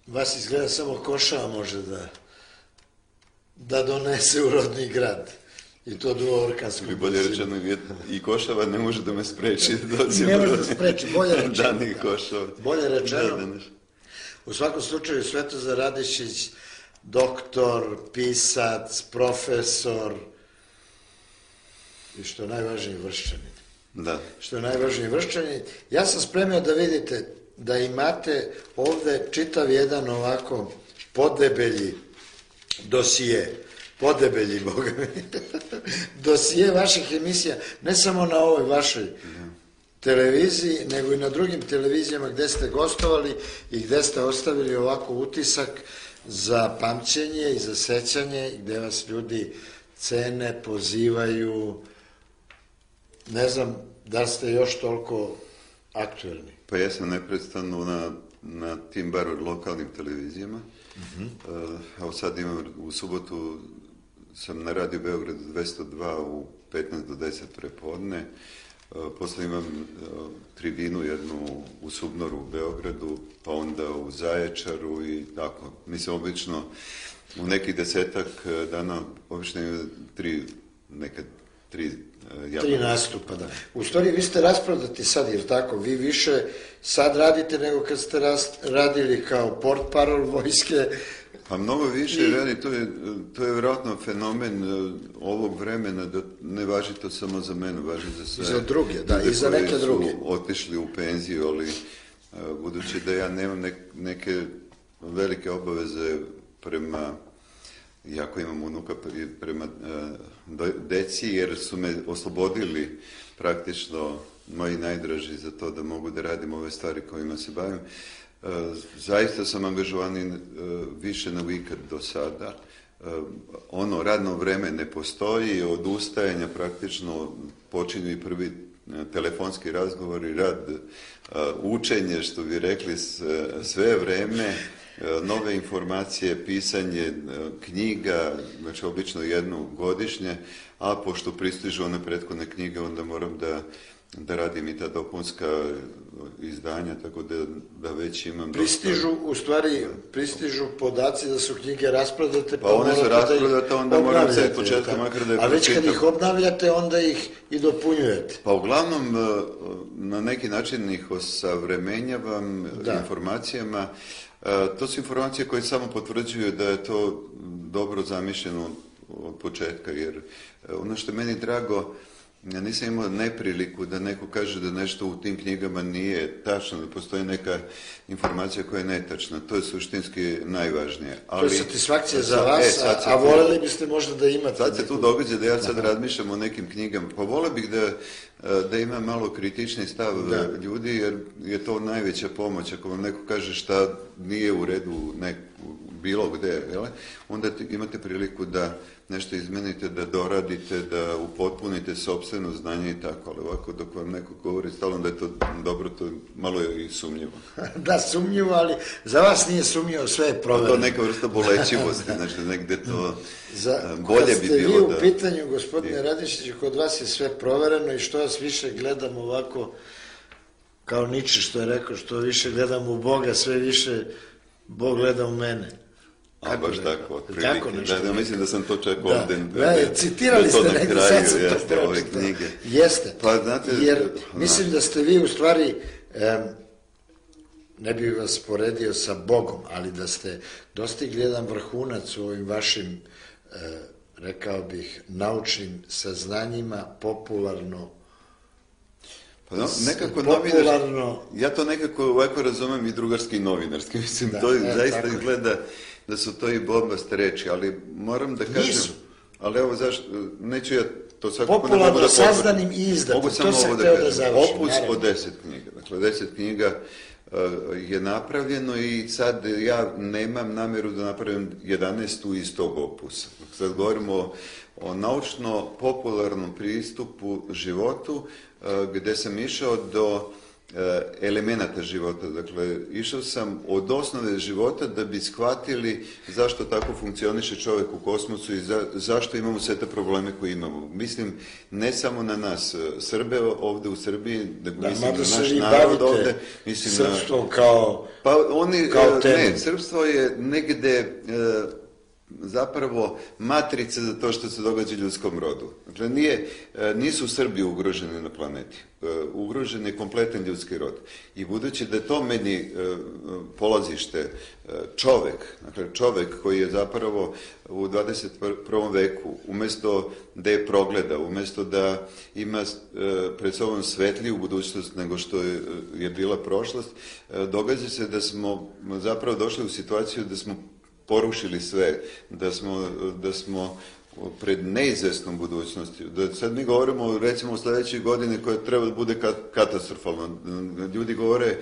Vas izgleda samo košava može da donese u rodni grad. I to duoorkanskom. Ili bolje rečeno, i košava ne može da me spreči. Ne može da spreči, bolje rečeno. Danih košava. Bolje rečeno. U svakom slučaju, Svetozar Radišić, doktor, pisac, profesor i što je najvažniji Vrščanin. Da. Što je najvažniji Vrščanin. Ja sam spremio da vidite da imate ovde čitav jedan ovako podebelji dosije, podebelji, boga mi, dosije vaših emisija, ne samo na ovoj vašoj televiziji, nego i na drugim televizijama gde ste gostovali i gde ste ostavili ovako utisak za pamćenje i za sećanje, gde vas ljudi cene, pozivaju. Ne znam da ste još toliko aktuelni. Pa ja sam neprestano na tim bar lokalnim televizijama. Evo sad imam, u subotu sam na Radio Beogradu 202 u 15 do 10 prepodne. Posle imam tribinu jednu u Subnoru u Beogradu, pa onda u Zaječaru i tako. Mislim, obično u nekih 10-ak dana, obično imam nekad tri nastupa, da. U stvari, vi ste rasprodati sad, jer tako, vi više sad radite nego kad ste radili kao portparol vojske. Pa mnogo više radi, to je vjerojatno fenomen ovog vremena, da ne važi to samo za mene, važi za sve. Za druge, da, i za neke druge. Koji su otišli u penziju, ali budući da ja nemam neke velike obaveze prema, iako imam unuka, prema deci, jer su me oslobodili praktično moji najdraži za to da mogu da radim ove stvari kojima se bavim. Zaista sam angažovan više nego ikad do sada. Ono radno vreme ne postoji, od ustajanja praktično počinju i prvi telefonski razgovori, rad, učenje, što bi rekli, sve vreme, nove informacije, pisanje knjiga, znači obično jednu godišnje, a pošto pristižu one prethodne knjige, onda moram da radim i ta dopunska izdanja, tako da već imam... Pristižu podaci da su knjige rasprodate, pa one su rasprodate, onda moram se od početka makar da je pročitam. A već kad ih obnavljate, onda ih i dopunjujete. Pa uglavnom, na neki način ih osavremenjavam informacijama. To su informacije koje samo potvrđuju da je to dobro zamišljeno od početka, jer ono što je meni drago, ja nisam imao nepriliku da neko kaže da nešto u tim knjigama nije tačno, da postoji neka informacija koja je netačna. To je suštinski najvažnije. To je satisfakcija za vas, a voljeli biste možda da imate... Sad se tu događa da ja sad razmišljam o nekim knjigama. Pa volio bih da ima malo kritični stav ljudi, jer je to najveća pomoć. Ako vam neko kaže šta nije u redu bilo gde, onda imate priliku da nešto izmenite, da doradite, da upotpunite sopstveno znanje i tako, ali ovako dok vam neko govori stalno da je to dobro, to malo je i sumnjivo. Da, sumnjivo, ali za vas nije sumnjivo, sve je provereno. To neka vrsta bolećivosti, znači negde to bolje bi bilo da... Kad ste vi u pitanju, gospodine Radišiću, kod vas je sve provereno i što vas više gledam ovako, kao Niče što je rekao, što više gledam u Boga, sve više Bog gleda u mene. A baš tako, otprilike. Da, mislim da sam to čak ovde... Citirali ste negdje, sad sam to ove knjige. Jeste, jer mislim da ste vi u stvari, ne bih vas poredio sa Bogom, ali da ste dostigli jedan vrhunac u ovim vašim, rekao bih, naučnim saznanjima, popularno. Pa nekako novinarski, ja to nekako ovako razumem i drugarski i novinarski, mislim, to zaista izgleda da su to i bombaste reči, ali moram da kažem... Nisu. Ali evo zašto, neću ja to svakako... Popularno sazdanim i izdatim, to sam hteo da završim. Opus od 10 knjiga, dakle 10 knjiga je napravljeno i sad ja nemam nameru da napravim 11. iz tog opusa. Sad govorimo o naučno-popularnom pristupu životu, gde sam išao do elemenata života. Dakle, išao sam od osnove života da bi shvatili zašto tako funkcioniše čovjek u kosmosu i zašto imamo sve te probleme koje imamo. Mislim, ne samo na nas Srbe ovdje u Srbiji, nego mislim na naš narod ovdje. Srpstvo kao temu. Ne, srpstvo je negdje zapravo matrica za to što se događa ljudskom rodu. Dakle, nisu Srbi ugroženi na planeti. Ugrožen je kompletan ljudski rod. I budući da je to meni polazište čovjek koji je zapravo u 21. veku, umjesto da je progleda, umjesto da ima pred sobom svetliju budućnost nego što je bila prošlost, događa se da smo zapravo došli u situaciju da smo porušili sve, da smo pred neizvjesnom budućnosti. Da sad mi govorimo recimo o sljedećoj godini koja treba da bude katastrofalna. Ljudi govore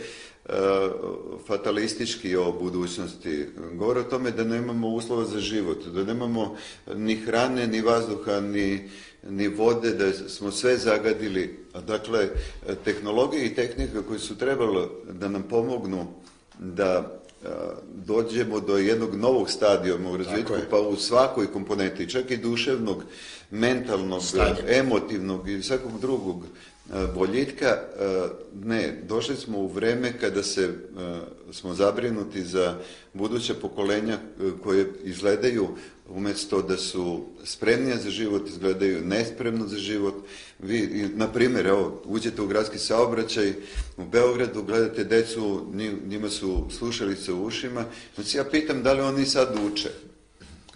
fatalistički o budućnosti. Govore o tome da nemamo uslova za život, da nemamo ni hrane, ni vazduha, ni vode, da smo sve zagadili. Dakle, tehnologije i tehnika koje su trebale da nam pomognu da dođemo do jednog novog stadijuma u razvitku, pa u svakoj komponenti, čak i duševnog, mentalnog, emotivnog i svakog drugog boljitka. Ne, došli smo u vreme kada smo zabrinuti za buduća pokolenja koje izgledaju, umjesto da su spremnije za život, izgledaju nespremno za život. Vi, na primjer, evo, uđete u gradski saobraćaj u Beogradu, gledate decu, njima su slušalice u ušima, znači ja pitam da li oni sad uče.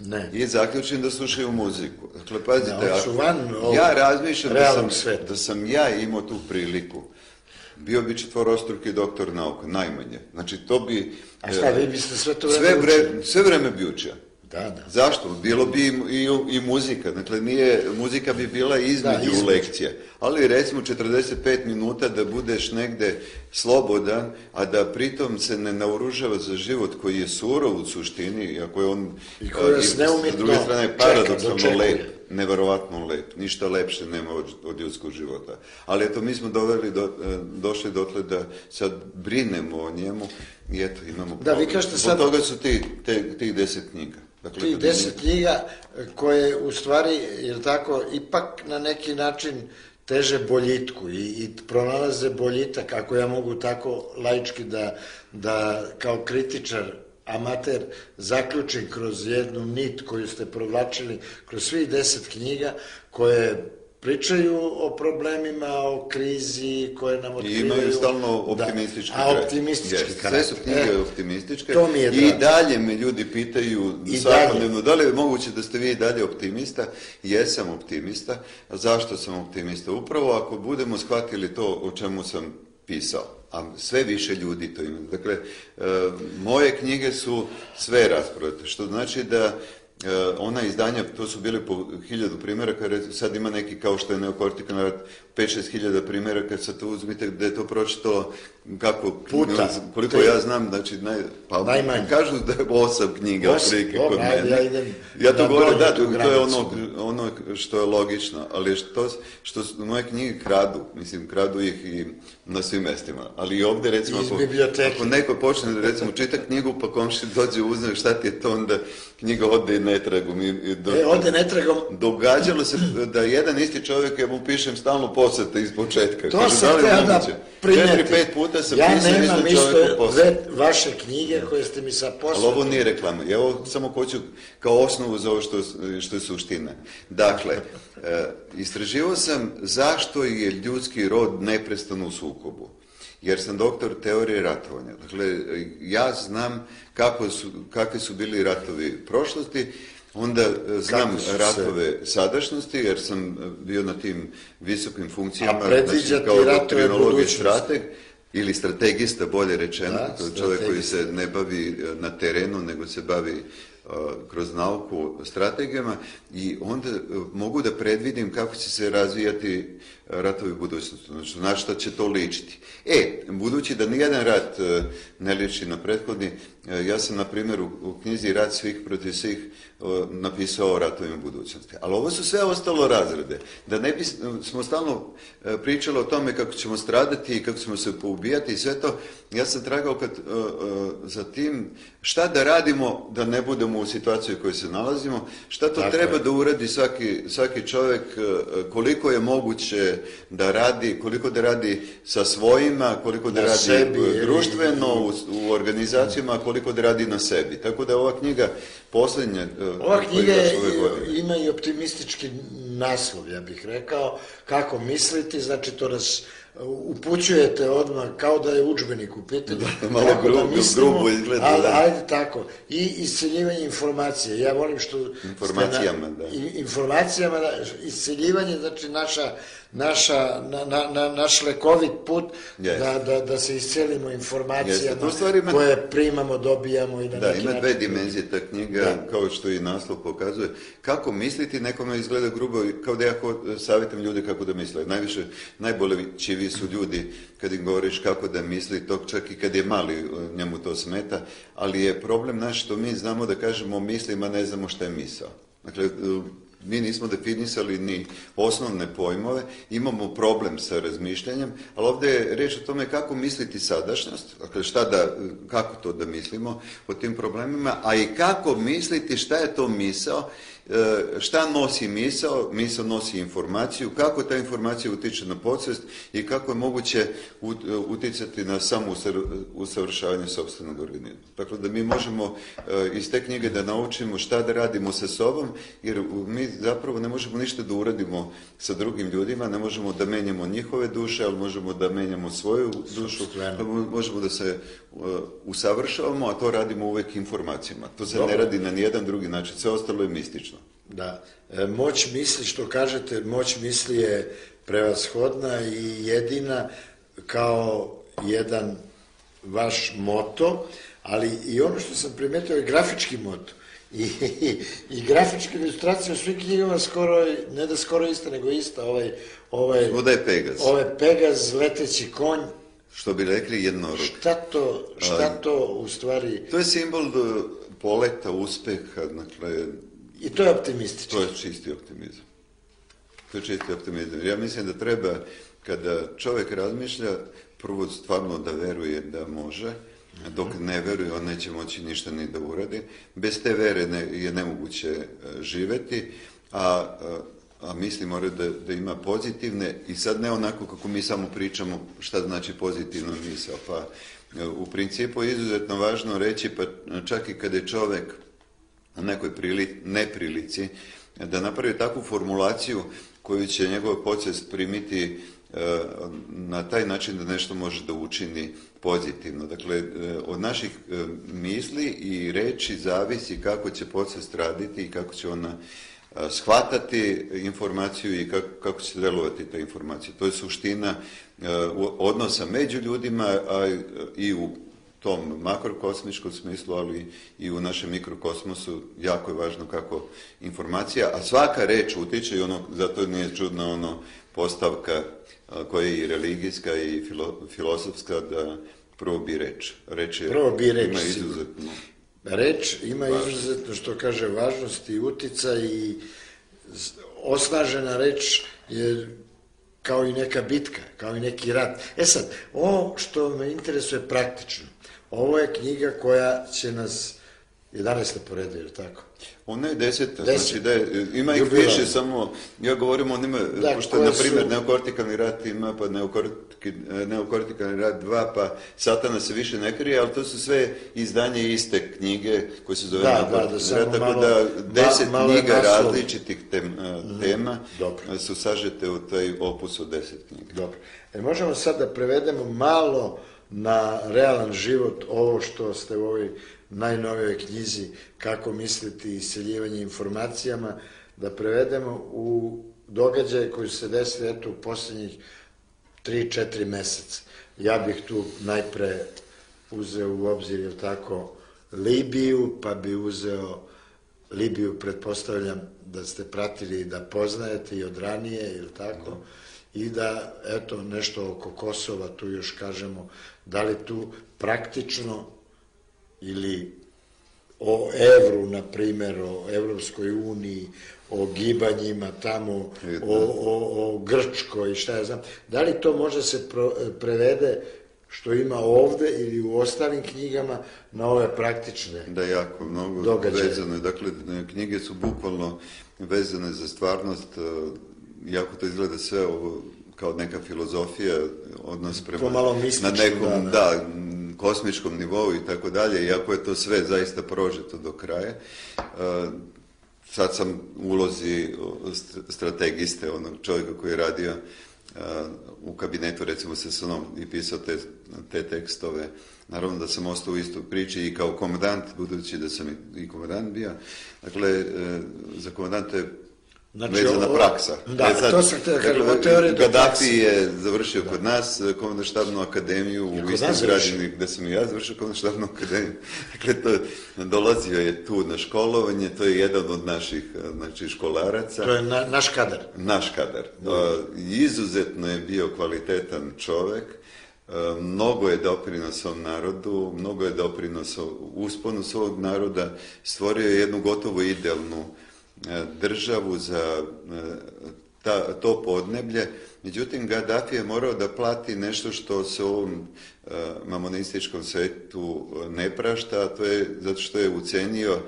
Ne. I zaključim da slušaju muziku. Dakle, pazite, ja razmišljam da sam ja imao tu priliku, bio bi četvorostruki doktor nauka, najmanje. Znači, to bi... A šta, vi biste sve to vreme učili? Sve vreme bi učio. Da. Zašto? Bilo bi i muzika. Dakle, muzika bi bila između lekcije. Ali recimo 45 minuta da budeš negde slobodan, a da pritom se ne naoružava za život koji je surov u suštini, iako je on i koji je s druge strane paradoksalno lep, neverovatno lep. Ništa lepše nema od ljudskog života. Ali eto, mi smo došli dotle da sad brinemo o njemu i eto, imamo problem. Vi kažete sad... Zbog toga su tih 10 knjiga. Dakle, tih 10 knjiga koje u stvari, jer tako, ipak na neki način teže boljitku i pronalaze boljitak, ako ja mogu tako laički da kao kritičar, amater, zaključim kroz jednu nit koju ste provlačili kroz svih 10 knjiga koje pričaju o problemima, o krizi, koje nam otkrivaju... I imaju stalno optimistički kraj. Optimistički kraj. Sve su knjige optimističke. To mi je i dalje me ljudi pitaju svakodnevno, da li je moguće da ste vi dalje optimista? Jesam optimista. A zašto sam optimista? Upravo ako budemo shvatili to o čemu sam pisao, a sve više ljudi to ima. Dakle, moje knjige su sve rasprave, što znači da ona izdanja, to su bili po 1000 primjeraka, sad ima neki kao što je Neokortikalni rat, 5-6 hiljada primjeraka, sad to uzmite da je to pročito kako puta, koliko ja znam, znači najmanje. Kažu da je 8 knjiga otprilike kod mene. Ja to govorim, da, to je ono što je logično, ali što moje knjige kradu ih i na svim mestima, ali i ovdje recimo ako neko počne recimo čita knjigu pa komši dođe uzme šta ti je to, onda knjiga ode netragom. Ode netragom. Događalo se da jedan isti čovjek, ja mu pišem stalno posete iz početka. To sam teo da primeti. 4-5 puta sam ja pisao nemam isto vaše knjige koje ste mi sa posete. Ali ovo nije reklama. Ja ovo samo hoću kao osnovu za ovo što je suština. Dakle, istraživao sam zašto je ljudski rod neprestano u sukobu. Jer sam doktor teorije ratovanja. Dakle, ja znam kakvi su bili ratovi prošlosti, onda znam ratove sadašnjosti, jer sam bio na tim visokim funkcijama, znači kao doktrinolog i strateg, ili strategista, bolje rečeno, čovjek koji se ne bavi na terenu, nego se bavi kroz nauku strategijama i onda mogu da predvidim kako će se razvijati ratovi u budućnosti, znači na šta će to ličiti. Budući da nijedan rat ne liči na prethodni, ja sam na primjer u knjizi Rat svih protiv svih napisao o ratovima budućnosti. Ali ovo su sve ostalo razrede. Da ne smo stalno pričali o tome kako ćemo stradati i kako ćemo se poubijati i sve to, ja sam tragao za tim šta da radimo da ne budemo u situaciji u kojoj se nalazimo, šta to treba da uradi svaki čovjek, koliko je moguće da radi, koliko da radi sa svojima, koliko da radi sebi, društveno, u organizacijama, koliko da radi na sebi. Tako da ova knjiga posljednja... Ova knjiga ima i optimistički naslov, ja bih rekao, kako misliti, znači to nas upućujete odmah kao da je udžbenik u pitanju. Malo grubo izgleda. Ajde tako. I isceljivanje informacije. Ja volim što... Informacijama, da. Informacijama, isceljivanje, znači naš lekovit put da se iscelimo informacijama koje primamo, dobijamo i na neki način. Da, ima dve dimenzije ta knjiga, kao što i naslov pokazuje. Kako misliti, nekome izgleda grubo, kao da ja savjetam ljude kako da misle. Najbolji su ljudi kad im govoriš kako da misli, to čak i kad je mali njemu to smeta, ali je problem naš što mi znamo da kažemo mislim, a ne znamo šta je misao. Dakle, mi nismo definisali ni osnovne pojmove, imamo problem sa razmišljanjem, ali ovdje je reč o tome kako misliti sadašnjost, dakle kako to da mislimo o tim problemima, a i kako misliti šta je to misao, šta nosi misao, misao nosi informaciju, kako ta informacija utiče na podsvijest i kako je moguće uticati na samo usavršavanje sopstvenog organizma. Dakle, da mi možemo iz te knjige da naučimo šta da radimo sa sobom, jer mi zapravo ne možemo ništa da uradimo sa drugim ljudima, ne možemo da menjamo njihove duše, ali možemo da menjamo svoju dušu, možemo da se usavršavamo, a to radimo uvek informacijama. To se ne radi na nijedan drugi način, sve ostalo je mistično. Da, moć misli, što kažete, moć misli je prevashodna i jedina kao jedan vaš moto, ali i ono što sam primetio je grafički moto. I grafička ilustracija u svim knjigama skoro, ne da skoro ista, nego ista. Ovdje je Pegaz. Ovo je Pegaz, leteći konj. Što bi rekli jednorog. Šta to u stvari... To je simbol poleta, uspeha, dakle... I to je optimistično. To je čisti optimizam. Ja mislim da treba, kada čovjek razmišlja, prvo stvarno da veruje da može, dok ne veruje, on neće moći ništa ni da uradi. Bez te vere je nemoguće živeti, a misli mora da ima pozitivne, i sad ne onako kako mi samo pričamo šta znači pozitivna misao. Pa u principu je izuzetno važno reći, pa čak i kada je čovjek na nekoj neprilici, da napravi takvu formulaciju koju će njegova podsvijest primiti na taj način da nešto može da učini pozitivno. Dakle, od naših misli i reči zavisi kako će podsvijest raditi i kako će ona shvatati informaciju i kako će delovati ta informacija. To je suština odnosa među ljudima, a i u tom makrokosmičkom smislu, ali i u našem mikrokosmosu jako je važno kako informacija, a svaka reč utiče, i zato nije čudna postavka koja je i religijska i filosofska, da prvo bi reč. Reč ima izuzetno. Reč ima izuzetno, što kaže, važnost i uticaj, i osnažena reč je kao i neka bitka, kao i neki rat. Sad, ovo što me interesuje praktično, ovo je knjiga koja će nas 11. po redu, je li tako? Ona je 10. Znači da ima ih više, samo ja govorim o njima, pošto na primjer neokortikalni rat ima, pa neokortikalni rat 2, pa Satana se više ne krije, ali to su sve izdanje iste knjige koje se zove neokortikalni rat, tako da 10 knjiga različitih tema su sažete u taj opus od 10 knjiga. Dobro. Možemo sad da prevedemo malo na realan život ovo što ste u ovoj najnovijoj knjizi Kako misliti i isceljivanje informacijama, da prevedemo u događaje koji su se desili u posljednjih 3-4 meseca. Ja bih tu najpre uzeo u obzir, je tako, Libiju, pa bi uzeo Libiju pretpostavljam da ste pratili i da poznajete i od ranije, ili tako? I da, eto, nešto oko Kosova, tu još kažemo, da li tu praktično ili o evru, na primjer, o Evropskoj uniji, o gibanjima tamo, o Grčkoj, šta ja znam, da li to može se prevede što ima ovde ili u ostalim knjigama na ove praktične da, jako mnogo događaje. Vezane. Dakle, knjige su bukvalno vezane za stvarnost, jako to izgleda sve ovo kao neka filozofija, odnos prema na nekom kosmičkom nivou i tako dalje, iako je to sve zaista prožeto do kraja. Sad sam u ulozi strategiste, onog čovjeka koji je radio u kabinetu, recimo sa Sonom, i pisao te tekstove. Naravno da sam ostao u istoj priči i kao komandant, budući da sam i komandant bio. Dakle, za komandanta je vezana praksa. Da, to sam htio kažem, o teoriji do prakse. Gaddafi je završio kod nas komandno-štabnu akademiju u istoj građani gde sam i ja završio komandno-štabnu akademiju. Dakle, dolazio je tu na školovanje, to je jedan od naših školaraca. To je naš kadar. Naš kadar. Izuzetno je bio kvalitetan čovek, mnogo je doprinosao narodu, mnogo je doprinosao usponu svog naroda, stvorio je jednu gotovo idealnu državu za to podneblje. Međutim, Gaddafi je morao da plati nešto što se u ovom mamonističkom svetu ne prašta, a to je zato što je ucenio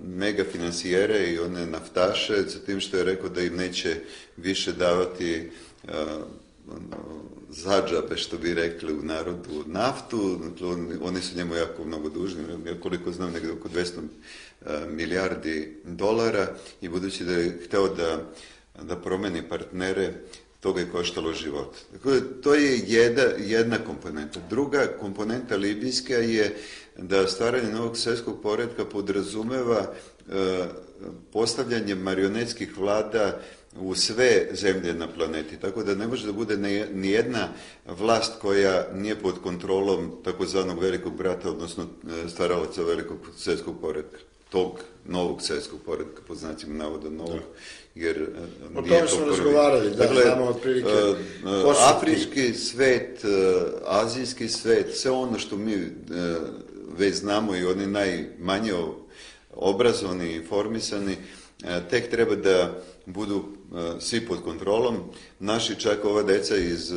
mega finansijere i one naftaše, sa tim što je rekao da im neće više davati zadžabe, što bi rekli u narodu, naftu. Oni su njemu jako mnogo dužni, koliko znam, negdje oko 200 milijardi dolara, i budući da je hteo da promeni partnere, to ga je koštalo život. Dakle, to je jedna komponenta. Druga komponenta libijska je da stvaranje novog svjetskog poretka podrazumeva postavljanje marionetskih vlada u sve zemlje na planeti. Tako da ne može da bude nijedna vlast koja nije pod kontrolom takozvanog velikog brata, odnosno stvaralaca velikog svjetskog poretka. Tog novog svjetskog poretka, po znacima navoda novog, jer o tome smo razgovarali, da, dakle, znamo otprilike afrički svet, azijski svet, sve ono što mi već znamo i oni najmanje obrazovani i informisani, tek treba da budu svi pod kontrolom. Naši, čak ova deca iz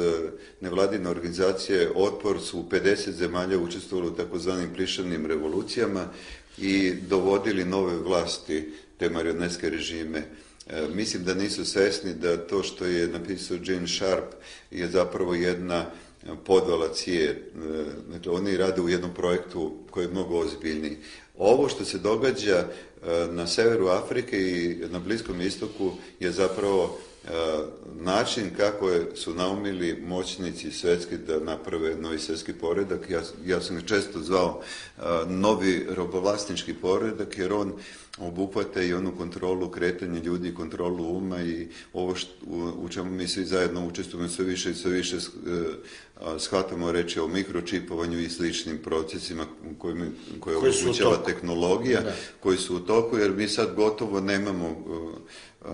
nevladine organizacije Otpor, su u 50 zemalja učestvovali u takozvanim plišanim revolucijama i dovodili nove vlasti te marionetske režime. Mislim da nisu svesni da to što je napisao Gene Sharp je zapravo jedna podvala CIA. Dakle, oni rade u jednom projektu koji je mnogo ozbiljniji. Ovo što se događa na severu Afrike i na Bliskom istoku je zapravo način kako su naumili moćnici svetski da naprave novi svjetski poredak. Ja sam ga često zvao novi robovlasnički poredak, jer on obuhvata i onu kontrolu kretanja ljudi, kontrolu uma i ovo u čemu mi svi zajedno učestvujemo sve više i sve više shvatamo reći o mikročipovanju i sličnim procesima koje omogućava tehnologija, koji su u toku, jer mi sad gotovo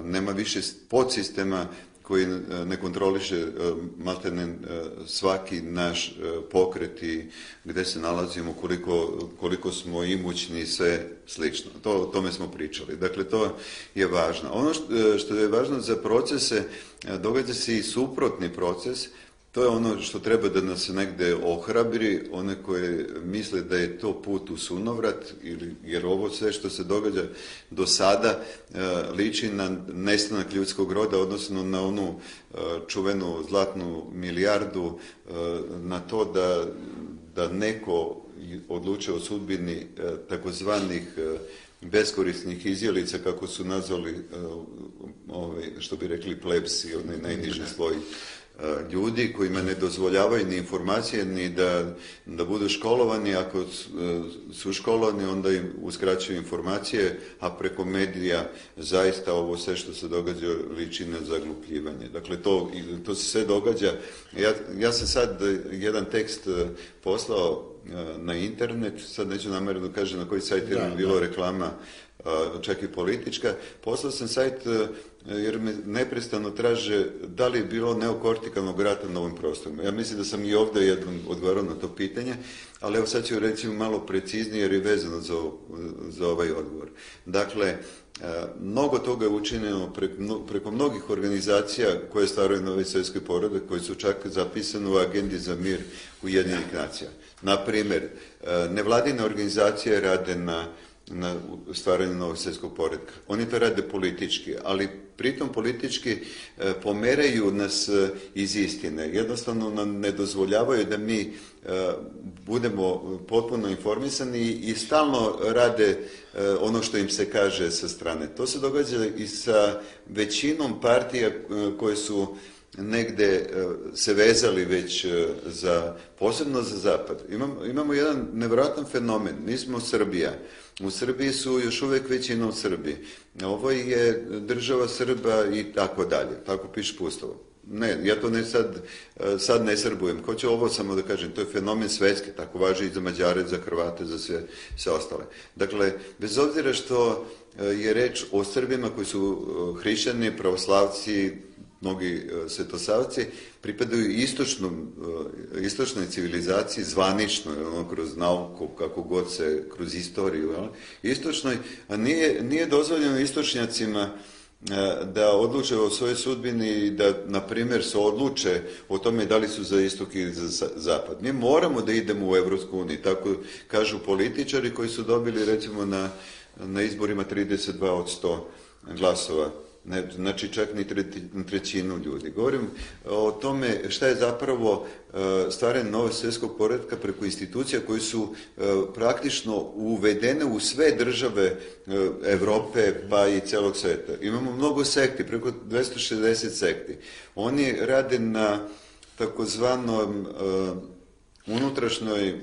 nema više podsistema koji ne kontroliše maltene svaki naš pokret i gde se nalazimo, koliko smo imućni i sve slično. O tome smo pričali. Dakle, to je važno. Ono što je važno za procese, događa se i suprotni proces. To je ono što treba da nas negde ohrabri, one koje misle da je to put u sunovrat, jer ovo sve što se događa do sada liči na nestanak ljudskog roda, odnosno na onu čuvenu zlatnu milijardu, na to da neko odlučuje o sudbini takozvanih beskorisnih izjelica, kako su nazvali, što bi rekli plebsi, onaj najniži sloj ljudi kojima ne dozvoljavaju ni informacije, ni da budu školovani. Ako su školovani, onda im uskraćuju informacije, a preko medija zaista ovo sve što se događa liči na zaglupljivanje. Dakle, to se sve događa. Ja sam sad jedan tekst poslao na internet, sad neću namjerno kažem na koji sajt, jer je bilo reklama čak i politička. Poslao sam sajt jer me neprestano traže da li je bilo neokortikalnog rata na ovim prostorima. Ja mislim da sam i ovdje jednom odgovarao na to pitanje, ali evo sad ću reći malo preciznije jer je vezano za ovaj odgovor. Dakle, mnogo toga je učinjeno preko mnogih organizacija koje stvaraju novi svjetski poredak, koji su čak zapisane u agendi za mir Ujedinjenih nacija. Na primjer, nevladine organizacije rade na stvaranju novog svjetskog poretka. Oni to rade politički, ali pritom politički pomeraju nas iz istine. Jednostavno nam ne dozvoljavaju da mi budemo potpuno informisani i stalno rade ono što im se kaže sa strane. To se događa i sa većinom partija koje su negde se vezali već posebno za zapad. Imamo jedan nevjerojatan fenomen. Mi smo Srbija. U Srbiji su još uvijek većina u Srbiji. Ovo je država Srba i tako dalje. Tako piše po Ustavu. Ne, ja to sad ne srbujem. Hoću ovo samo da kažem, to je fenomen svetski, tako važi i za Mađare, za Hrvate, za sve ostale. Dakle, bez obzira što je reč o Srbima koji su hrišćani, pravoslavci, mnogi svetosavci, pripadaju istočnoj civilizaciji, zvaničnoj, kroz nauku, kako god se, kroz istoriju, istočnoj, a nije dozvoljeno istočnjacima da odluče o svojoj sudbini i da, na primjer, se odluče o tome da li su za istok ili za zapad. Mi moramo da idemo u Evropsku uniju, tako kažu političari koji su dobili, recimo, na izborima 32 od 100 glasova. Znači čak ni trećinu ljudi. Govorim o tome šta je zapravo stvaranje novog svjetskog poretka preko institucija koji su praktično uvedene u sve države Evrope pa i celog sveta. Imamo mnogo sekti, preko 260 sekti. Oni rade na takozvanom unutrašnjoj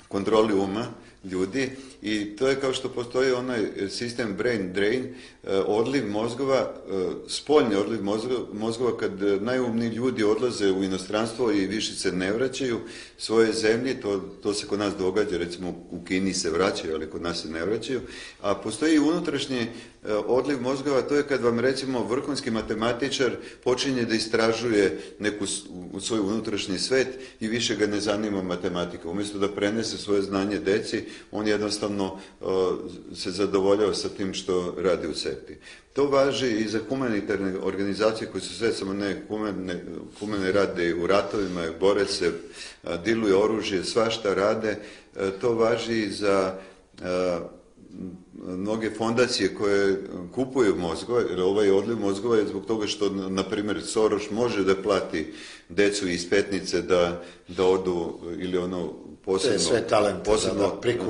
kontroli uma ljudi i to je kao što postoji onaj sistem brain drain, odliv mozgova, spoljni odliv mozgova kad najumniji ljudi odlaze u inostranstvo i više se ne vraćaju svoje zemlji, to se kod nas događa, recimo u Kini se vraćaju, ali kod nas se ne vraćaju, a postoji i unutrašnji odliv mozgova, to je kad vam recimo vrhunski matematičar počinje da istražuje neku svoj unutrašnji svet i više ga ne zanima matematika. Umjesto da prenese svoje znanje deci, on jednostavno se zadovoljava sa tim što radi u sekti. To važi i za humanitarne organizacije koje su sve samo ne humane, rade u ratovima, bore se, diluju oružje, svašta rade. To važi i za mnoge fondacije koje kupuju mozgove, jer ovaj odliv mozgova je zbog toga što, na primjer, Soros može da plati decu iz Petnice da odu ili ono posebno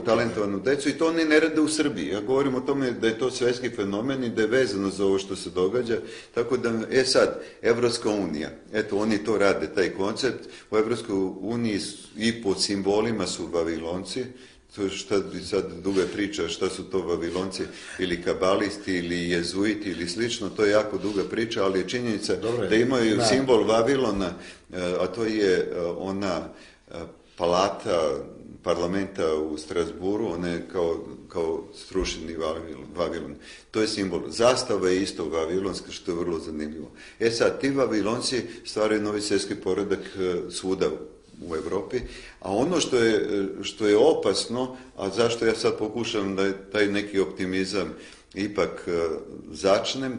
talentovanu decu i to oni ne rade u Srbiji. Ja govorim o tome da je to svetski fenomen i da je vezano za ovo što se događa. Tako da, sad, Evropska unija, eto, oni to rade, taj koncept. U Evropskoj uniji i po simbolima su Vavilonci, šta sad duga priča, šta su to Vavilonci, ili kabalisti, ili jezuiti, ili slično, to je jako duga priča, ali je činjenica da imaju simbol Vavilona, a to je ona palata parlamenta u Strasburu, ona je kao strušeni Vavilon. To je simbol. Zastava je isto vavilonska, što je vrlo zanimljivo. Sad, ti Vavilonci stvaraju novi svjetski poredak svuda u Evropi, a ono što je opasno, a zašto ja sad pokušam da taj neki optimizam ipak začnem,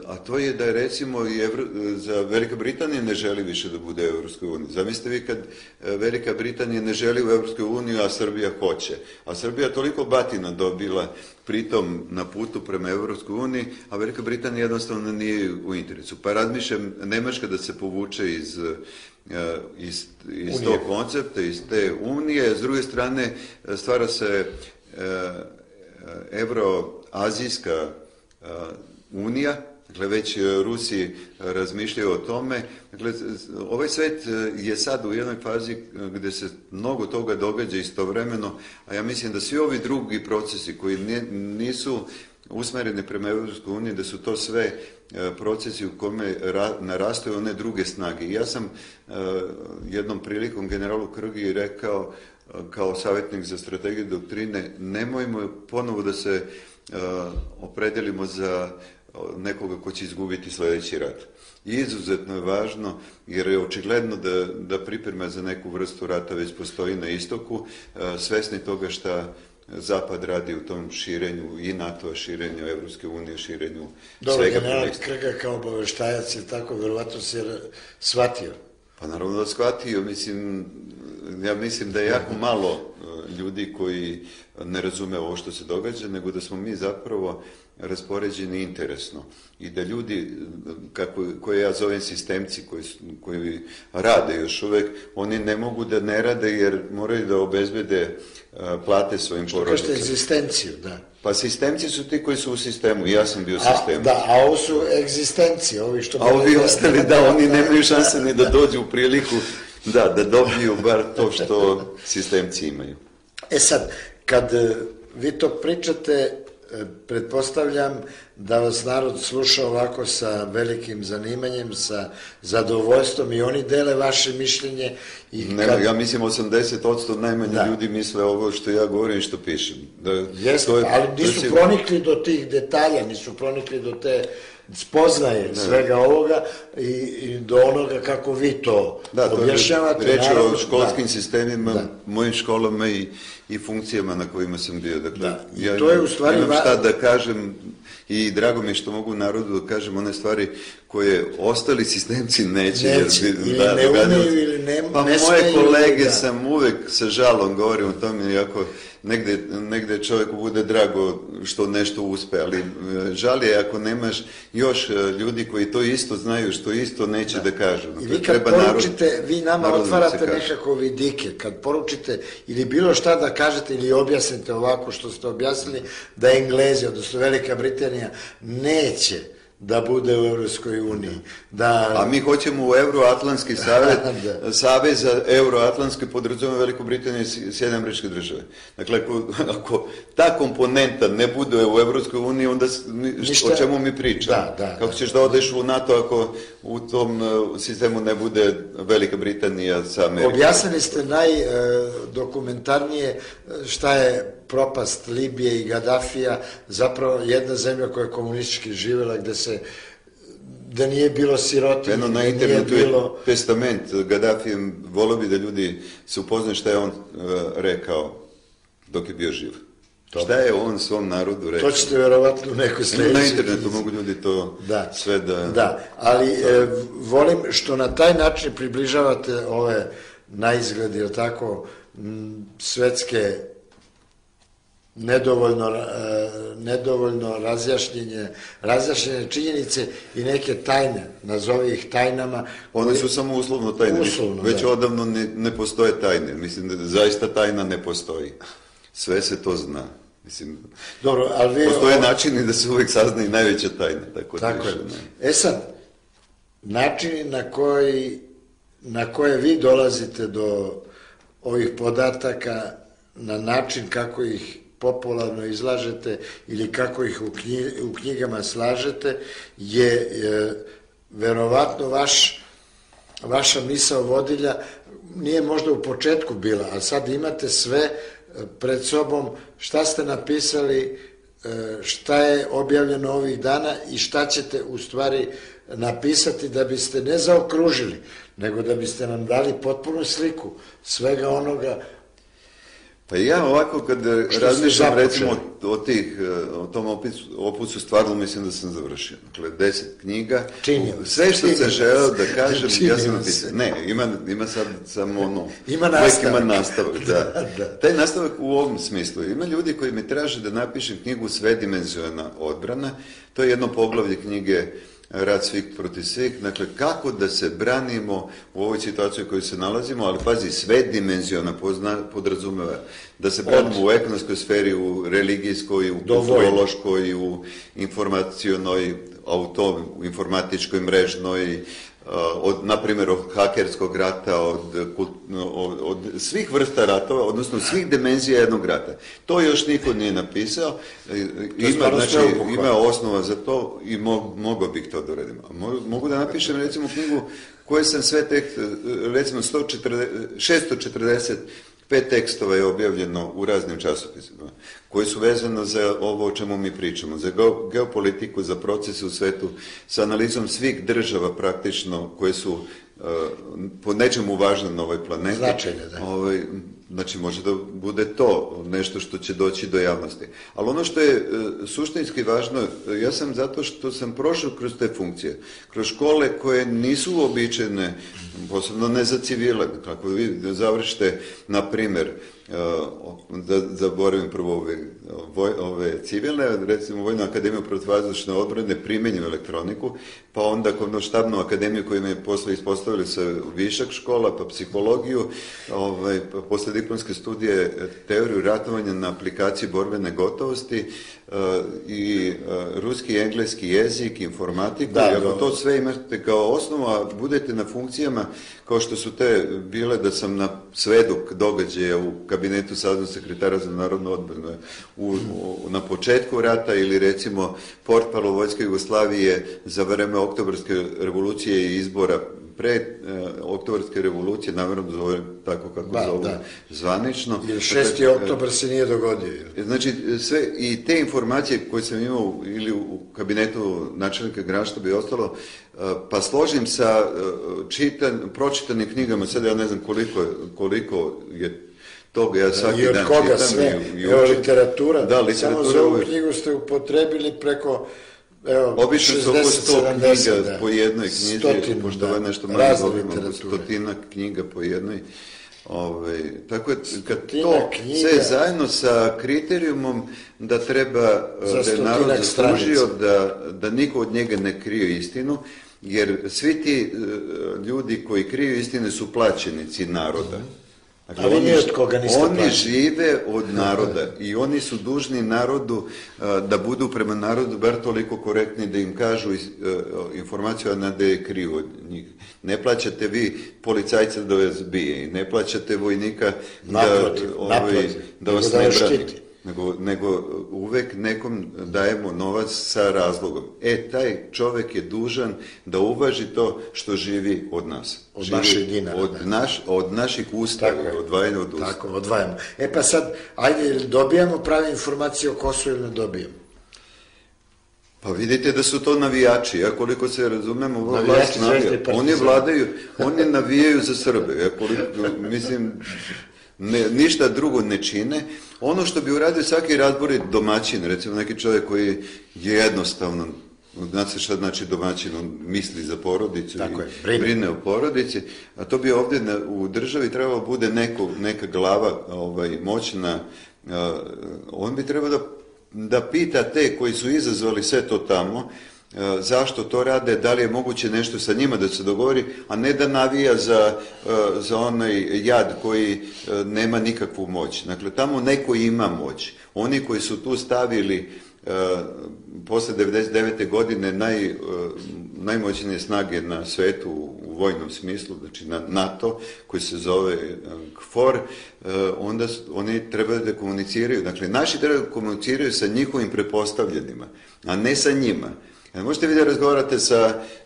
a to je da je recimo za Velika Britanija ne želi više da bude u Evropskoj uniji. Zamislite vi kad Velika Britanija ne želi u Evropskoj uniji, a Srbija hoće. A Srbija toliko batina dobila pritom na putu prema Evropskoj uniji, a Velika Britanija jednostavno nije u interesu. Pa razmišljam Nemačka da se povuče iz tog koncepta, iz te unije. S druge strane stvara se Evroazijska unija, dakle već Rusi razmišljaju o tome. Dakle, ovaj svet je sad u jednoj fazi gdje se mnogo toga događa istovremeno, a ja mislim da svi ovi drugi procesi koji nisu usmereni prema Europskoj uniji, da su to sve procesi u kome narastaju one druge snage. I ja sam jednom prilikom generalu Krgi rekao, kao savjetnik za strategiju doktrine, nemojmo ponovo da se opredelimo za nekoga ko će izgubiti sljedeći rat. I izuzetno je važno, jer je očigledno da priprema za neku vrstu rata već postoji na istoku, svesni toga šta Zapad radi u tom širenju i NATO-a, širenju Evropske unije, širenju svega. Dobro, general Krga kao obaveštajac je tako, verovatno se shvatio. Pa naravno da shvatio, ja mislim da je jako malo ljudi koji ne razume ovo što se događa, nego da smo mi zapravo raspoređeni interesno i da ljudi, koje ja zovem sistemci, koji rade još uvek, oni ne mogu da ne rade jer moraju da obezbede plate svojim porodicama. Što kažete egzistenciju, da. Pa sistemci su ti koji su u sistemu, ja sam bio u sistemu. Da, a ovo su egzistencije, ovi što... A ovi ostali, da, oni nemaju šanse ni da dođu u priliku da dobiju bar to što sistemci imaju. E sad, kad vi to pričate, pretpostavljam da vas narod sluša ovako sa velikim zanimanjem, sa zadovoljstvom i oni dele vaše mišljenje. Ja mislim 80% najmanje ljudi misle ovo što ja govorim i što pišem. Jeste, ali nisu pronikli do tih detalja, nisu pronikli do te spoznaje svega ovoga i do onoga kako vi to objašnjavate. Reč je o školskim sistemima, mojim školama i funkcijama na kojima sam bio. Dakle, ja imam šta da kažem i drago mi je što mogu narodu da kažem one stvari koje ostali sistemci neće. Ili ne umeju ili ne smeju. Pa moje kolege sam uvek sa žalom govorim o tome, iako negde čovjeku bude drago što nešto uspe, ali žal je ako nemaš još ljudi koji to isto znaju, što isto neće da kažu. I vi kad poručite, vi nama otvarate nekako vidike, kad poručite ili bilo šta da kažete ili objasnite ovako što ste objasnili, da Englezi, odnosno Velika Britanija, neće da bude u Evropskoj uniji. A mi hoćemo u Euroatlantski savez za Euroatlantske podrazumeva Veliku Britaniju i Sjedinjene Američke Države. Dakle, ako ta komponenta ne bude u Evropskoj uniji, onda o čemu mi pričamo? Kako ćeš da odeš u NATO ako u tom sistemu ne bude Velika Britanija sa Amerikom? Objasnili ste najdokumentarnije šta je propast Libije i Gaddafija, zapravo jedna zemlja koja je komunistički živjela, gde nije bilo sirotinje. Eno na internetu je testament Gaddafijem, volio bi da ljudi se upoznaju šta je on rekao dok je bio živ. Šta je on svom narodu rekao? To ćete verovatno u nekoj sledećoj. Na internetu mogu ljudi to sve da... Da, ali volim što na taj način približavate ove naizgledi, ili tako, svetske nedovoljno razjašnjene činjenice i neke tajne, nazovi ih tajnama. One su samo uslovno tajne, već odavno ne postoje tajne, mislim da zaista tajna ne postoji, sve se to zna. Postoje načini da se uvijek sazna i najveća tajna. Tako je. E sad, načini na koje vi dolazite do ovih podataka, na način kako ih popularno izlažete ili kako ih u knjigama slažete, je verovatno vaša misao vodilja, nije možda u početku bila, a sad imate sve pred sobom, šta ste napisali, šta je objavljeno ovih dana i šta ćete u stvari napisati da biste ne zaokružili, nego da biste nam dali potpunu sliku svega onoga. Pa ja ovako kad razmišljam recimo o tom opusu, stvarno mislim da sam završio. Dakle, 10 knjiga, sve što sam želeo da kažem, ja sam napisao. Ne, ima sad samo ono, uvijek ima nastavak. Taj nastavak u ovom smislu. Ima ljudi koji mi traže da napišem knjigu Svedimenzionalna odbrana, to je jedno poglavlje knjige Rat svih protiv svih, dakle kako da se branimo u ovoj situaciji u kojoj se nalazimo, ali pazi, svedimenzionalna podrazumeva da se branimo u ekonomskoj sferi, u religijskoj, u kulturološkoj, u informacionoj, u informatičkoj, mrežnoj, na primjer, od hakerskog rata, od svih vrsta ratova, odnosno svih dimenzija jednog rata. To još niko nije napisao. Ima osnova za to i mogao bih to da uradim. Mogu da napišem, recimo, knjigu koje sam sve recimo 645 tekstova je objavljeno u raznim časopisima, koji su vezano za ovo o čemu mi pričamo, za geopolitiku, za procese u svetu, sa analizom svih država praktično koje su po nečemu važne na ovoj planeti. Značajne, da. Znači, može da bude to nešto što će doći do javnosti. Ali ono što je suštinski važno, ja sam zato što sam prošao kroz te funkcije, kroz škole koje nisu uobičajene, posebno ne za civile. Kako vi završite, na primjer, da zaboravim prvo ove civilne, recimo Vojnu akademiju protivvazdušne odbrane, primenju elektroniku, pa onda štabnu akademiju koju me posle ispostavili sa višak škola, pa psihologiju, pa posle diplomske studije teoriju ratovanja na aplikaciji borbene gotovosti i ruski i engleski jezik, informatiku, i ako to sve imate kao osnovu, a budete na funkcijama kao što su te bile da sam na svedok događaja u kabinetu saveznog sekretara za narodnu odbranu na početku rata ili recimo portparol Vojske Jugoslavije za vreme Oktobarske revolucije i izbora pre Oktobarske revolucije, namjerno zovem tako kako zove zvanično. Jer 6. oktobar se nije dogodio. Znači, sve i te informacije koje sam imao ili u kabinetu načelnika Generalštaba i ostalo, pa složim sa pročitanim knjigama, sad ja ne znam koliko je toga, ja svaki dan čitam. I od koga sve? Evo literatura. Da, literatura. Samo za ovu knjigu ste upotrebili preko obično su oko 100 knjiga po jednoj knjizi, pošto ovo je nešto manje dobimo, 100 knjiga po jednoj. Tako je, kad to sve zajedno sa kriterijumom da treba, da je narod zaslužio da niko od njega ne krije istinu, jer svi ti ljudi koji kriju istine su plaćenici naroda. Ali ni od koga niste plaćeni. Oni žive od naroda i oni su dužni narodu da budu prema narodu bar toliko korektni da im kažu informaciju, a ne da je kriju od njih. Ne plaćate vi policajca da vas bije i ne plaćate vojnika da vas ne brani. Nego uvek nekom dajemo novac sa razlogom. Taj čovek je dužan da uvaži to što živi od nas. Od naših dinara. Od naših usta, odvajanja od usta. Tako, odvajamo. Pa sad, ajde, dobijamo prave informacije o Kosovu ili ne dobijamo? Pa vidite da su to navijači, ja koliko se razumemo, vlast navija. Oni vladaju, oni navijaju za Srbe. Mislim, ništa drugo ne čine. Ono što bi uradio svaki razborit domaćin, recimo neki čovjek koji je jednostavno, znate šta znači domaćin, on misli za porodicu i brine o porodici, a to bi ovdje u državi trebalo bude neka glava moćna, on bi trebao da pita te koji su izazvali sve to tamo, zašto to rade, da li je moguće nešto sa njima da se dogovori, a ne da navija za onaj jad koji nema nikakvu moć. Dakle, tamo neko ima moć. Oni koji su tu stavili posle 99. godine najmoćnije snage na svetu u vojnom smislu, znači na NATO, koji se zove KFOR, onda oni trebaju da komuniciraju. Dakle, naši trebaju da komuniciraju sa njihovim prepostavljenima, a ne sa njima. Možete vi da razgovarate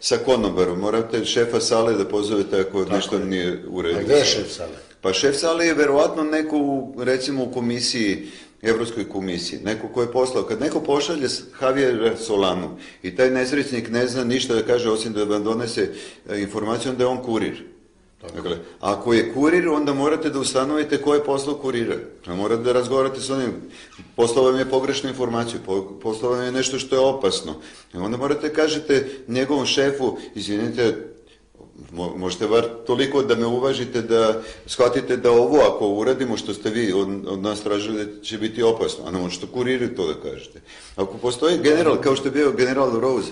sa konobarom, morate šefa sale da pozovete ako nešto nije u redu. A gde je šef sale? Pa šef sale je verovatno neko, recimo u komisiji, Evropskoj komisiji, neko ko je poslao. Kad neko pošalje Javiera Solanu i taj nesrećnik ne zna ništa da kaže osim da vam donese informaciju, onda je on kurir. Dakle, ako je kurir, onda morate da ustanovite ko je poslao kurira. Morate da razgovarate s onim, poslao vam je pogrešnu informaciju, poslao vam je nešto što je opasno. Onda morate kažete njegovom šefu, izvinite, možete bar toliko da me uvažite da shvatite da ovo ako uradimo što ste vi od nas tražili će biti opasno, a ne možete kuriru to da kažete. Ako postoji general, kao što je bio general Rose,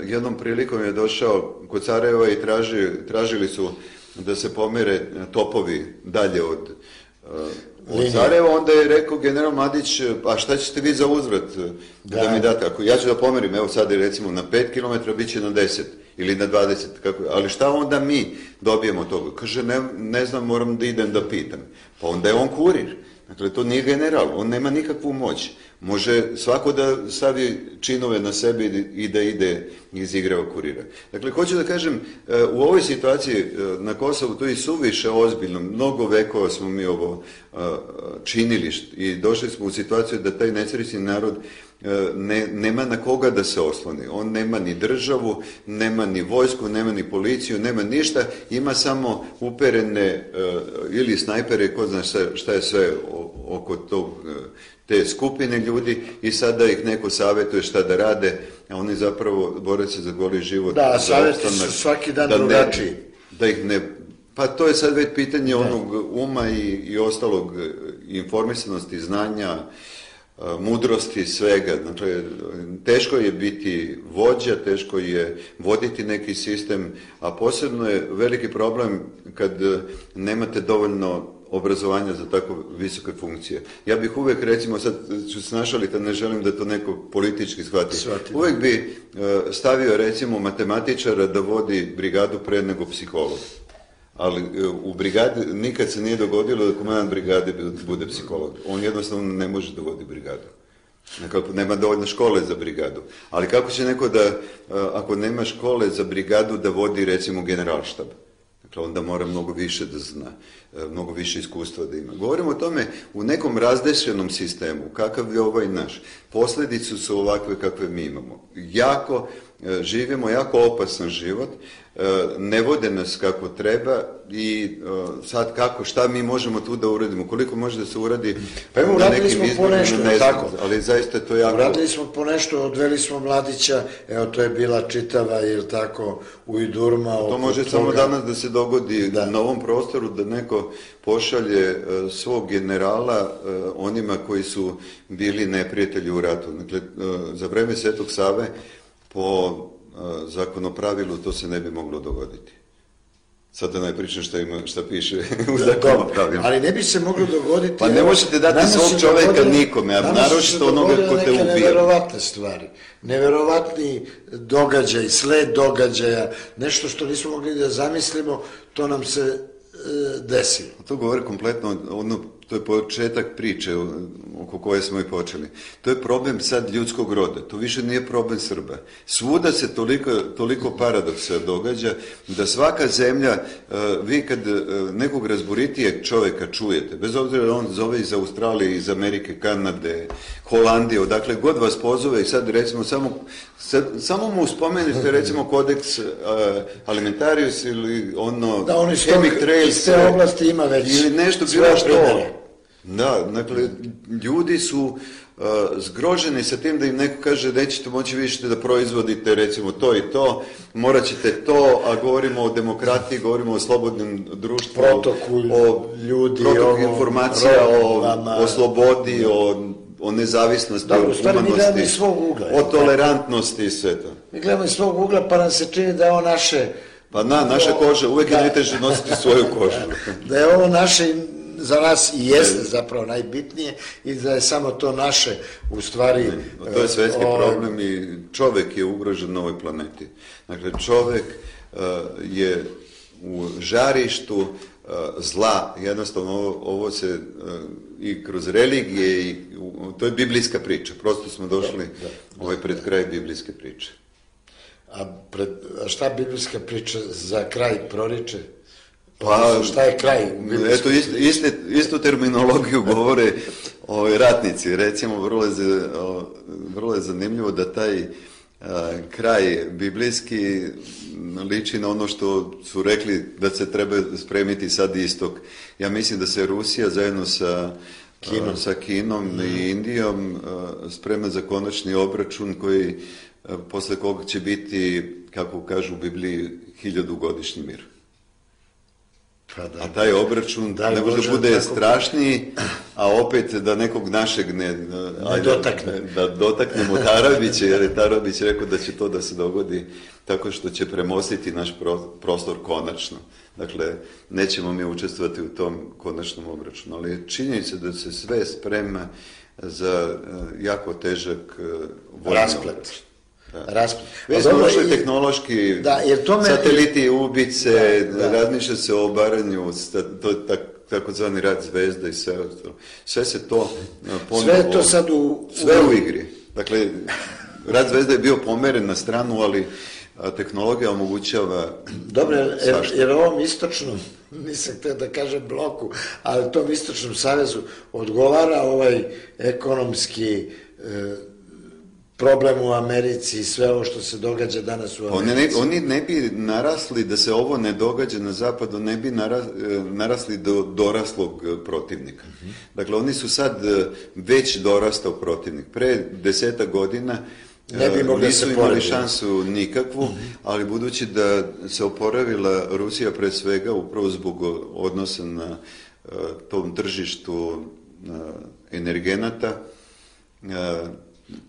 jednom prilikom je došao kod Sarajeva i tražili su da se pomere topovi dalje od Sarajeva, onda je rekao general Mladić, a šta ćete vi za uzvrat da mi date? Ako ja ću da pomerim, evo sad je recimo na 5 km, bit će na 10. ili na 20, ali šta onda mi dobijemo od toga? Kaže, ne znam, moram da idem da pitam. Pa onda je on kurir. Dakle, to nije general, on nema nikakvu moć. Može svako da stavi činove na sebi i da ide izigrava kurira. Dakle, hoću da kažem, u ovoj situaciji na Kosovu to je suviše ozbiljno. Mnogo vekova smo mi ovo činili i došli smo u situaciju da taj nesrećni narod nema na koga da se osloni. On nema ni državu, nema ni vojsku, nema ni policiju, nema ništa. Ima samo uperene ili snajpere, ko zna šta je sve oko te skupine ljudi i sada ih neko savjetuje šta da rade, a oni zapravo bore se za goli život. Da, savjeti su svaki dan drugačiji. Da ih ne... Pa to je sad već pitanje onog uma i ostalog informisanosti, znanja, mudrosti, svega. Znači, teško je biti vođa, teško je voditi neki sistem, a posebno je veliki problem kad nemate dovoljno obrazovanja za tako visoke funkcije. Ja bih uvek, recimo, sad ću snašaliti, ne želim da to neko politički shvati. Uvek bi stavio, recimo, matematičara da vodi brigadu pre nego psiholog. Ali u brigadi nikad se nije dogodilo da komandant brigade bude psiholog. On jednostavno ne može da vodi brigadu. Nekako nema dovoljno škole za brigadu. Ali kako će neko da, ako nema škole za brigadu, da vodi, recimo, generalštab? Dakle, onda mora mnogo više da zna, mnogo više iskustva da ima. Govorimo o tome u nekom razdešenom sistemu, kakav je ovaj naš. Posljedice su ovakve kakve mi imamo. Živimo jako opasan život, ne vode nas kako treba i sad šta mi možemo tu da uradimo, koliko može da se uradi na nekim izborima, ne znam, ali zaista to jako... Uradili smo po nešto, odveli smo mladića, evo to je bila čitava, ili tako, ujdurma. To može samo danas da se dogodi na ovom prostoru, da neko pošalje svog generala onima koji su bili neprijatelji u ratu. Dakle, za vreme Svetog Save po zakonopravilu to se ne bi moglo dogoditi. Sad da ne pričam šta piše u zakonopravilu. Ali ne bi se moglo dogoditi... Pa ne možete dati svog čoveka nikome, a naročito onoga ko te ubija. Neverovatne stvari, neverovatni događaj, sled događaja, nešto što nismo mogli da zamislimo, to nam se desilo. To govori kompletno, to je početak priče oko koje smo i počeli. To je problem sad ljudskog roda, to više nije problem Srba. Svuda se toliko paradoksa događa da svaka zemlja, vi kad nekog razboritijeg čovjeka čujete, bez obzira da on zove iz Australije, iz Amerike, Kanade, Holandije, odakle god vas pozove i sad recimo samo mu spomenete recimo kodeks alimentarius ili ono chemtrails iz te oblasti ima već ili nešto bilo što. Da, dakle, ljudi su zgroženi sa tim da im neko kaže nećete moći više da proizvodite recimo to i to, morat ćete to, a govorimo o demokratiji, govorimo o slobodnom društvu, o ljudi, protok informacija, o slobodi, o nezavisnosti, o humanosti, o tolerantnosti i sve to. Mi gledamo iz svog ugla pa nam se čini da je ovo naše... Pa naša koža, uvijek je najteže nositi svoju kožu. Da je ovo naše, za nas i jeste zapravo najbitnije i da je samo to naše u stvari... To je svetski problem i čovjek je ugrožen na ovoj planeti. Dakle, čovjek je u žarištu zla, jednostavno ovo se i kroz religije, i to je biblijska priča, prosto smo došli pred kraj biblijske priče. A šta biblijska priča za kraj proriče? Pa šta je kraj? Eto, istu terminologiju govore ratnici. Recimo, vrlo je zanimljivo da taj kraj biblijski liči na ono što su rekli da se treba spremiti sad istok. Ja mislim da se Rusija zajedno sa Kinom i Indijom sprema za konačni obračun koji posle koga će biti, kako kažu u Bibliji, 1000-godišnji mir. A taj obračun ne može da bude strašniji, a opet da nekog našeg ne dotakne. Da dotaknemo Tarabića, jer je Tarabić rekao da će to da se dogodi tako što će premostiti naš prostor konačno. Dakle, nećemo mi učestvovati u tom konačnom obračunu, ali činjenica da se sve sprema za jako težak vojni obračun. raspad. Već smo ušli tehnološki, sateliti, ubice, razmišlja se o obaranju, to je takozvani rad zvezda i sve ostalo. Sve se to ponovo... Sve je to sad sve u igri. Dakle, rad zvezda je bio pomeren na stranu, ali tehnologija omogućava... Dobro, jer ovom istočnom, nisam htio da kažem bloku, ali tom istočnom savezu odgovara ovaj ekonomski problem u Americi i sve ovo što se događa danas u Americi. Oni ne bi narasli, da se ovo ne događa na zapadu, ne bi narasli do doraslog protivnika. Dakle, oni su sad već dorastao protivnik. Pre 10 godina nisu imali šansu nikakvu, ali budući da se oporavila Rusija pre svega upravo zbog odnosa na tom tržištu energenata,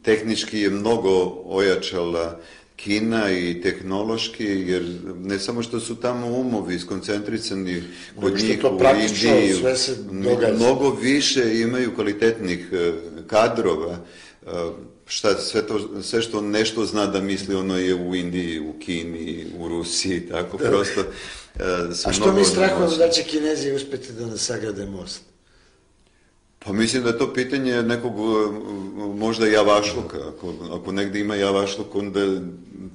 tehnički je mnogo ojačala Kina i tehnološki, jer ne samo što su tamo umovi skoncentrisani kod njih u Indiji, mnogo više imaju kvalitetnih kadrova. Sve što nešto zna da misli, ono je u Indiji, u Kini, u Rusiji, tako prosto. A što mi strahujemo da će Kinezi uspjeti da nas sagrade most? Pa mislim da je to pitanje nekog možda javašluka. Ako negdje ima javašluk, onda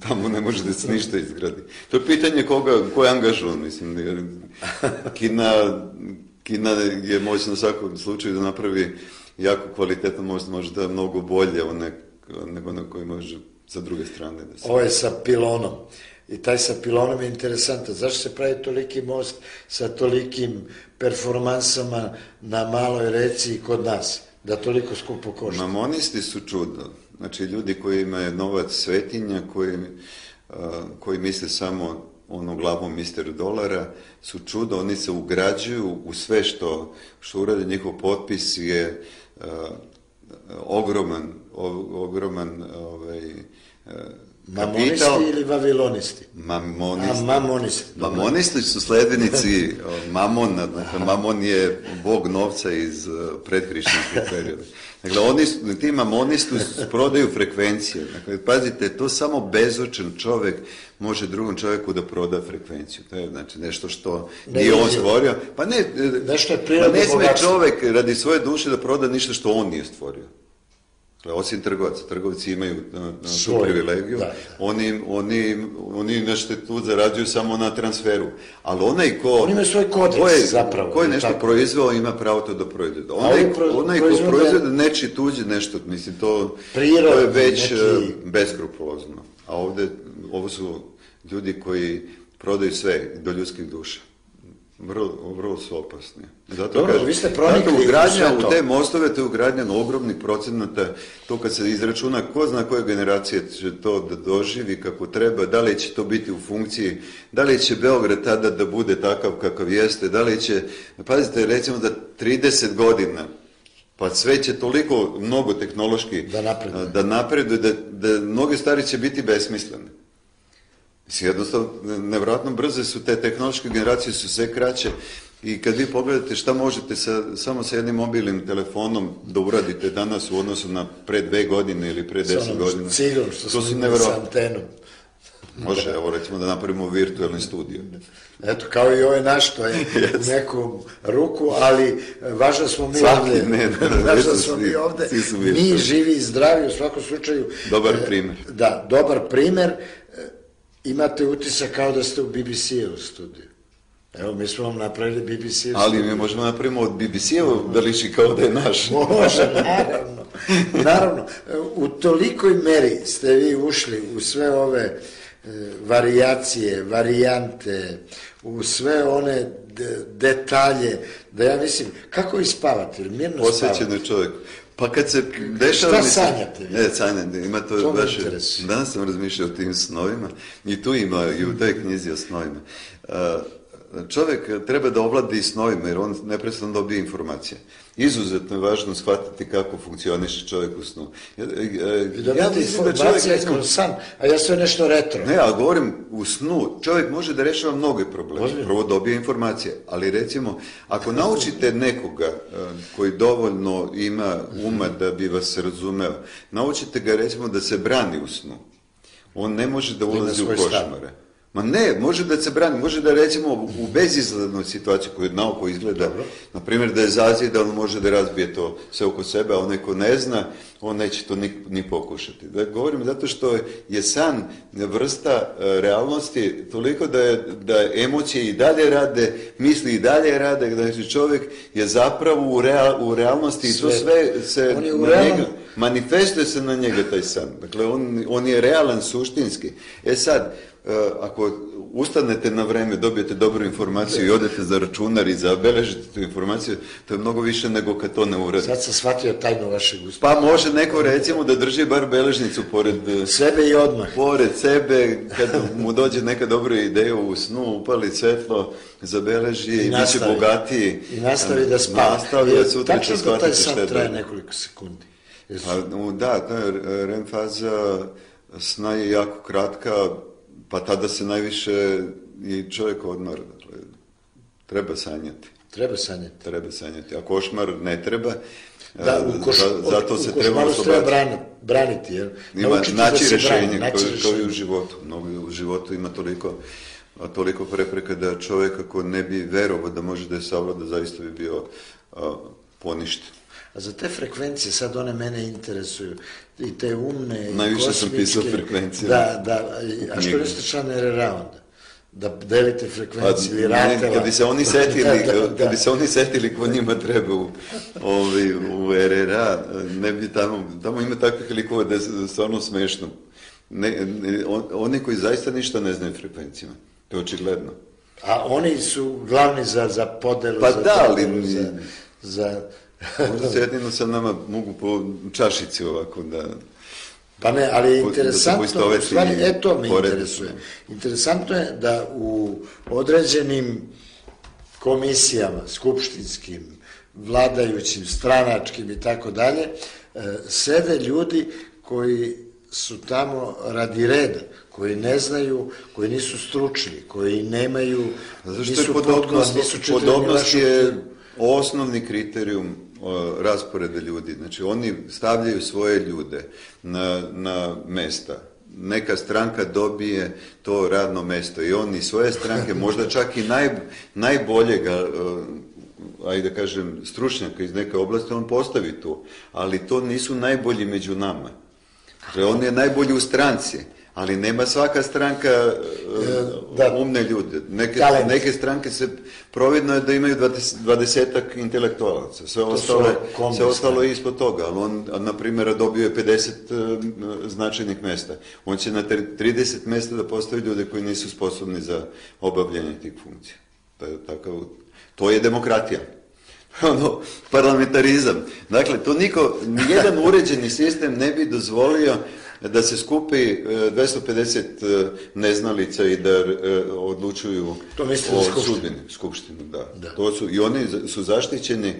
tamo ne može da se ništa izgradi. To je pitanje ko je angažovan, mislim. Kina je moćna u svakom slučaju da napravi jako kvalitetan most, možda mnogo bolje nego na koji može sa druge strane da se... Ovo je sa pilonom. I taj sa pilonom je interesantan. Zašto se pravi toliki most sa tolikim performansama na maloj reci i kod nas? Da toliko skupo košta. Mamonisti su čudo. Znači, ljudi koji imaju novac svetinja, koji misle samo ono glavom mister dolara, su čudo. Oni se ugrađuju u sve što urade. Njihov potpis je ogroman Mamonisti ili vavilonisti? Mamonisti. Mamonisti su sledbenici Mamona. Dakle, Mamon je bog novca iz predhrišćanskih perioda. Dakle, ti mamonisti prodaju frekvencije. Dakle, pazite, to samo bezočan čovjek može drugom čovjeku da proda frekvenciju. To je znači nešto što nije on stvorio. Pa ne sme čovjek radi svoje duše da proda ništa što on nije stvorio. Osim trgovaca. Trgovci imaju tu privilegiju. Oni nešto tu zarađuju samo na transferu. Ali onaj Oni imaju svoj kodeks zapravo. Ko je nešto proizveo, ima pravo to da proizvede. Onaj ko proizvede neči tuđe nešto, mislim, to je već beskrupulozno. A ovo su ljudi koji prodaju sve do ljudskih duša. Vrlo su opasni. Zato vi ste pronikli u te mostove, to je ugradnjeno ogromnih procenata, to kad se izračuna, ko zna koje generacije će to da doživi kako treba, da li će to biti u funkciji, da li će Beograd tada da bude takav kakav jeste, da li će, pazite, recimo da 30 godina, pa sve će toliko mnogo tehnološki da napreduje, da mnoge stvari će biti besmislene. Jednostavno, nevjerojatno brze su te tehnološke generacije, su sve kraće i kad vi pogledate šta možete samo sa jednim mobilnim telefonom da uradite danas u odnosu na pre 2 godine ili pre 10 godina. Cigom što smo imali sa antenom. Može, evo recimo da napravimo virtualni studio. Eto, kao i ovaj naš, to je u neku ruku, ali važno smo mi ovdje. Važno smo mi ovdje. Mi živi i zdravi u svakom slučaju. Dobar primjer. Da, dobar primjer. Imate utisak kao da ste u BBC-u studiju. Evo, mi smo vam napravili BBC-u ali mi možemo napravimo od BBC-u da liči kao da je naš. Može, naravno. U tolikoj meri ste vi ušli u sve ove varijacije, varijante, u sve one detalje, da ja mislim, kako vi spavate? Mirno spavate? Posvećeno je čovjek. Pa kad se dešava... Šta sanjate? Sanjate, ima to baš... Danas sam razmišljao o tim snovima i tu ima i u toj knjizi o snovima. Čovjek treba da ovladi snovima jer on neprestano dobije informacije. Izuzetno je važno shvatiti kako funkcioniše čovjek u snu. Ja mislim da čovjek kroz san, a ja sve nešto retro. Ne, ali govorim u snu. Čovjek može da rešava mnoge probleme. Prvo dobije informacije. Ali recimo, ako naučite nekoga koji dovoljno ima uma da bi vas razumeo, naučite ga recimo da se brani u snu. On ne može da ulazi u svoj košmare. Ma ne, može da se brani, može da recimo u bezizglednoj situaciji koju naoko izgleda, na primjer da je zazida, on može da razbije to sve oko sebe, a onaj ko ne zna, on neće to ni pokušati. Da govorim zato što je san vrsta realnosti toliko da emocije i dalje rade, misli i dalje rade, da čovjek je zapravo u realnosti i to sve se na njega, manifestuje se na njega taj san. Dakle, on je realan suštinski. Sad, ako ustanete na vreme, dobijete dobru informaciju i odete za računar i zabeležite tu informaciju, to je mnogo više nego kad to ne uradi. Sad sam shvatio tajnu vašeg uspeha. Pa može neko recimo da drži bar beležnicu pored sebe i odmah. Pored sebe, kad mu dođe neka dobra ideja u snu, upali svetlo, zabeleži i bit će bogatiji. I nastavi da spava. Tačno da taj san traje nekoliko sekundi. Da, REM faza sna je jako kratka, pa tada se najviše i čovjek odmara. Dakle, treba sanjati. Treba sanjati. A košmar ne treba. Zato se treba braniti. Ima naći rješenje kao i u životu. U životu ima toliko prepreka da čovjek ako ne bi verovao da može da je savlada, zaista bi bio poništen. A za te frekvencije, sad one mene interesuju, i te umne, najviše sam pisao frekvencije. Da, a što niste član RRA onda? Da delite frekvencije ili ratela? Kad bi se oni setili ko njima treba u RRA, ne bi tamo ima takvih likova da je stvarno smešno. Oni koji zaista ništa ne znaju frekvencijama, to je očigledno. A oni su glavni za podelu, pa da, ali za možda se jedino sa nama mogu po čašici ovako da... Pa ne, ali je interesantno, u stvari, to me interesuje. Interesantno je da u određenim komisijama, skupštinskim, vladajućim, stranačkim i tako dalje, sede ljudi koji su tamo radi reda, koji ne znaju, koji nisu stručni, koji nemaju, nisu podnost, nisu čitali. Podobnost je osnovni kriterijum rasporeda ljudi. Znači, oni stavljaju svoje ljude na mesta. Neka stranka dobije to radno mesto i oni svoje stranke, možda čak i najboljega, ajde da kažem, stručnjaka iz neke oblasti, on postavi tu. Ali to nisu najbolji među nama. Znači, on je najbolji u stranci. Ali nema svaka stranka umne ljude. Neke stranke se providno je da imaju 20-ak intelektualaca. Sve ostalo je ispod toga. Ali on, na primjer, dobio je 50 značajnih mesta. On će na 30 mesta da postavi ljude koji nisu sposobni za obavljanje tih funkcija. To je demokratija. Parlamentarizam. Dakle, to nijedan uređeni sistem ne bi dozvolio da se skupi 250 neznalica i da odlučuju o sudbini. Skupštinu, da. I oni su zaštićeni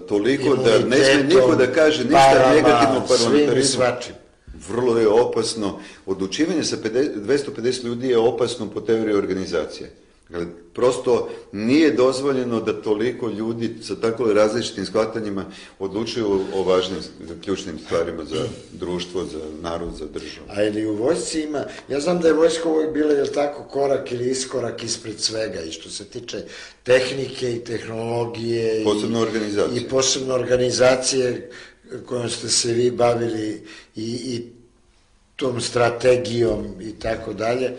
toliko da ne smije niko da kaže ništa negativno o parlamentarizmu. Vrlo je opasno. Odlučivanje sa 250 ljudi je opasno po teoriji organizacije. Prosto nije dozvoljeno da toliko ljudi sa tako različitim shvatanjima odlučuju o važnim, ključnim stvarima za društvo, za narod, za državu. A ili u vojsci ima, ja znam da je vojska uvijek bila, je li tako, korak ili iskorak ispred svega i što se tiče tehnike i tehnologije i posebno organizacije kojom ste se vi bavili i tom strategijom i tako dalje.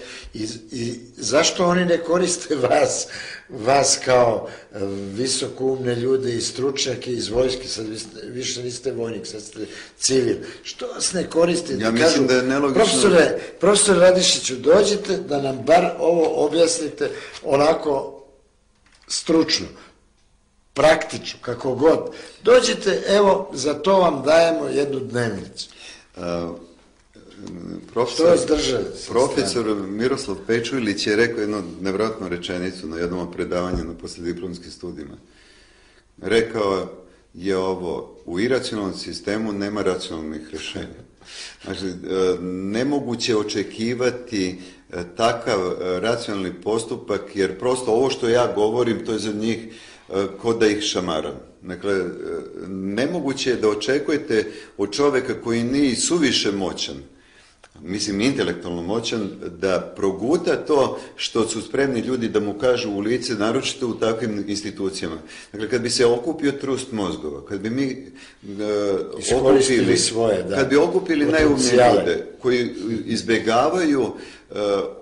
I zašto oni ne koriste vas kao visokoumne ljude i stručnjake iz vojske, sad više niste vojnik, sad ste civil. Što vas ne koristite? Ja mislim da je nelogično. Profesor Radišiću, dođite da nam bar ovo objasnite onako stručno, praktično, kako god. Dođite, evo, za to vam dajemo jednu dnevnicu. Profesor Miroslav Pečujlić je rekao jednu nevjerojatnu rečenicu na jednom predavanju na poslijediplomskim studijima. Rekao je ovo: u iracionalnom sistemu nema racionalnih rješenja. Znači, nemoguće očekivati takav racionalni postupak, jer prosto ovo što ja govorim, to je za njih ko da ih šamaram. Dakle, nemoguće je da očekujete od čovjeka koji nije suviše moćan, mislim intelektualno moćan, da proguta to što su spremni ljudi da mu kažu u lice, naročito u takvim institucijama. Dakle, kad bi se okupio trust mozgova, kad bi mi okupili svoje, kad bi okupili najumnije ljude koji izbjegavaju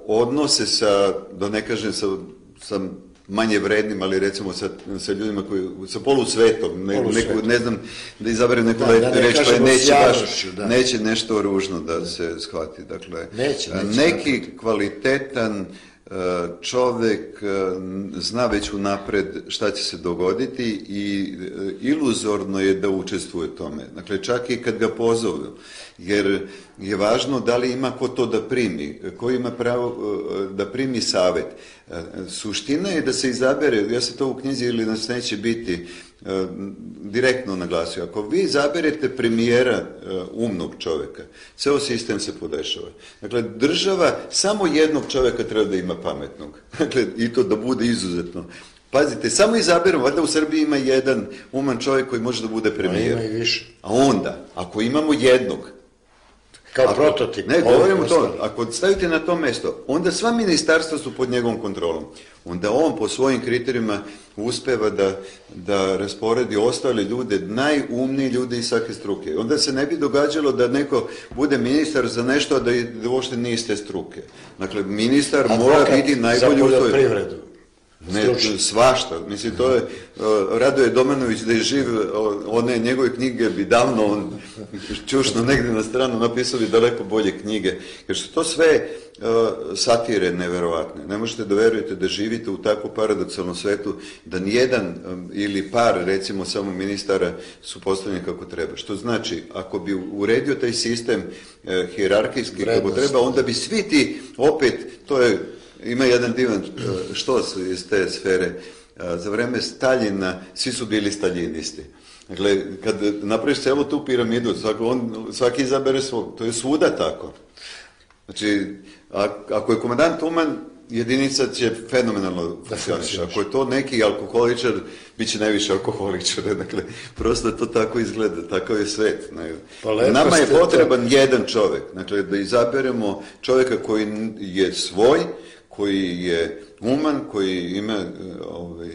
odnose sa, da ne kažem, sa manje vrednim, ali recimo sa ljudima sa polusvetom, ne znam, da izaberem neku reč koja neće nešto ružno da se shvati. Dakle, neki kvalitetan čovjek zna već unapred šta će se dogoditi i iluzorno je da učestvuje u tome. Dakle, čak i kad ga pozovu, jer je važno da li ima ko to da primi, ko ima pravo da primi savjet. Suština je da se izabere, ja se to u knjizi ili nas neće biti direktno naglasio, ako vi izaberete premijera umnog čovjeka, ceo sistem se podešava. Dakle, država samo jednog čovjeka treba da ima pametnog. Dakle, i to da bude izuzetno. Pazite, samo izaberemo, valjda u Srbiji ima jedan uman čovjek koji može da bude premijer. Ima i više. A onda, ako imamo jednog, kao prototip. Ne, govorimo to. Ako stavite na to mesto, onda sva ministarstva su pod njegovom kontrolom. Onda on po svojim kriterijima uspeva da rasporedi ostale ljude, najumniji ljudi iz svake struke. Onda se ne bi događalo da neko bude ministar za nešto, a da uopšte nije iste struke. Dakle, ministar mora biti najbolji u toj... Za poljoprivredu. Ne, svašta. Mislim, to je Radoje Domanović da je živ, one njegove knjige bi davno on čušno negdje na stranu napisao bi daleko bolje knjige. Jer su to sve satire neverovatne. Ne možete da verujete da živite u tako paradoksalnom svetu, da nijedan ili par, recimo samo ministara, su postavljeni kako treba. Što znači, ako bi uredio taj sistem hijerarhijski kako treba, onda bi svi ti, opet, to je... Ima jedan divan štos iz te sfere. Za vreme Staljina svi su bili staljinisti. Dakle, kad napraviš celu tu piramidu, svaki izabere svog. To je svuda tako. Znači, ako je komandant uman, jedinica će fenomenalno funkcioniš. Ako je to neki alkoholičar, bit će najviše alkoholičara. Dakle, prosto to tako izgleda, takav je svet. Nama je potreban jedan čovjek. Dakle, da izaberemo čovjeka koji je svoj, koji je uman, koji ima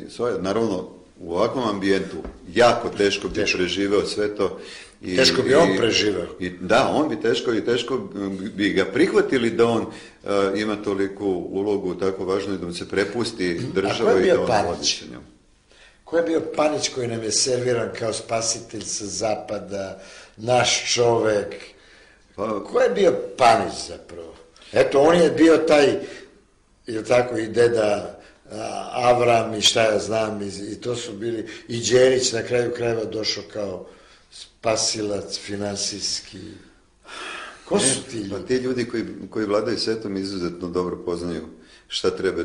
svoje, naravno u ovakvom ambijentu jako teško bi preživeo sve to. Teško bi on preživeo. Da, on bi teško bi ga prihvatili da on ima toliku ulogu tako važnu da mu se prepusti država i da on vodi. Ko je bio Panić koji nam je serviran kao spasitelj sa zapada, naš čovek? Ko je bio Panić zapravo? Eto, on je bio taj, ili tako, i deda Avram i šta ja znam, i to su bili, i Đerić na kraju krajeva došao kao spasilac finansijski. Ko su ti ljudi? Pa ti ljudi koji vladaju svetom izuzetno dobro poznaju šta treba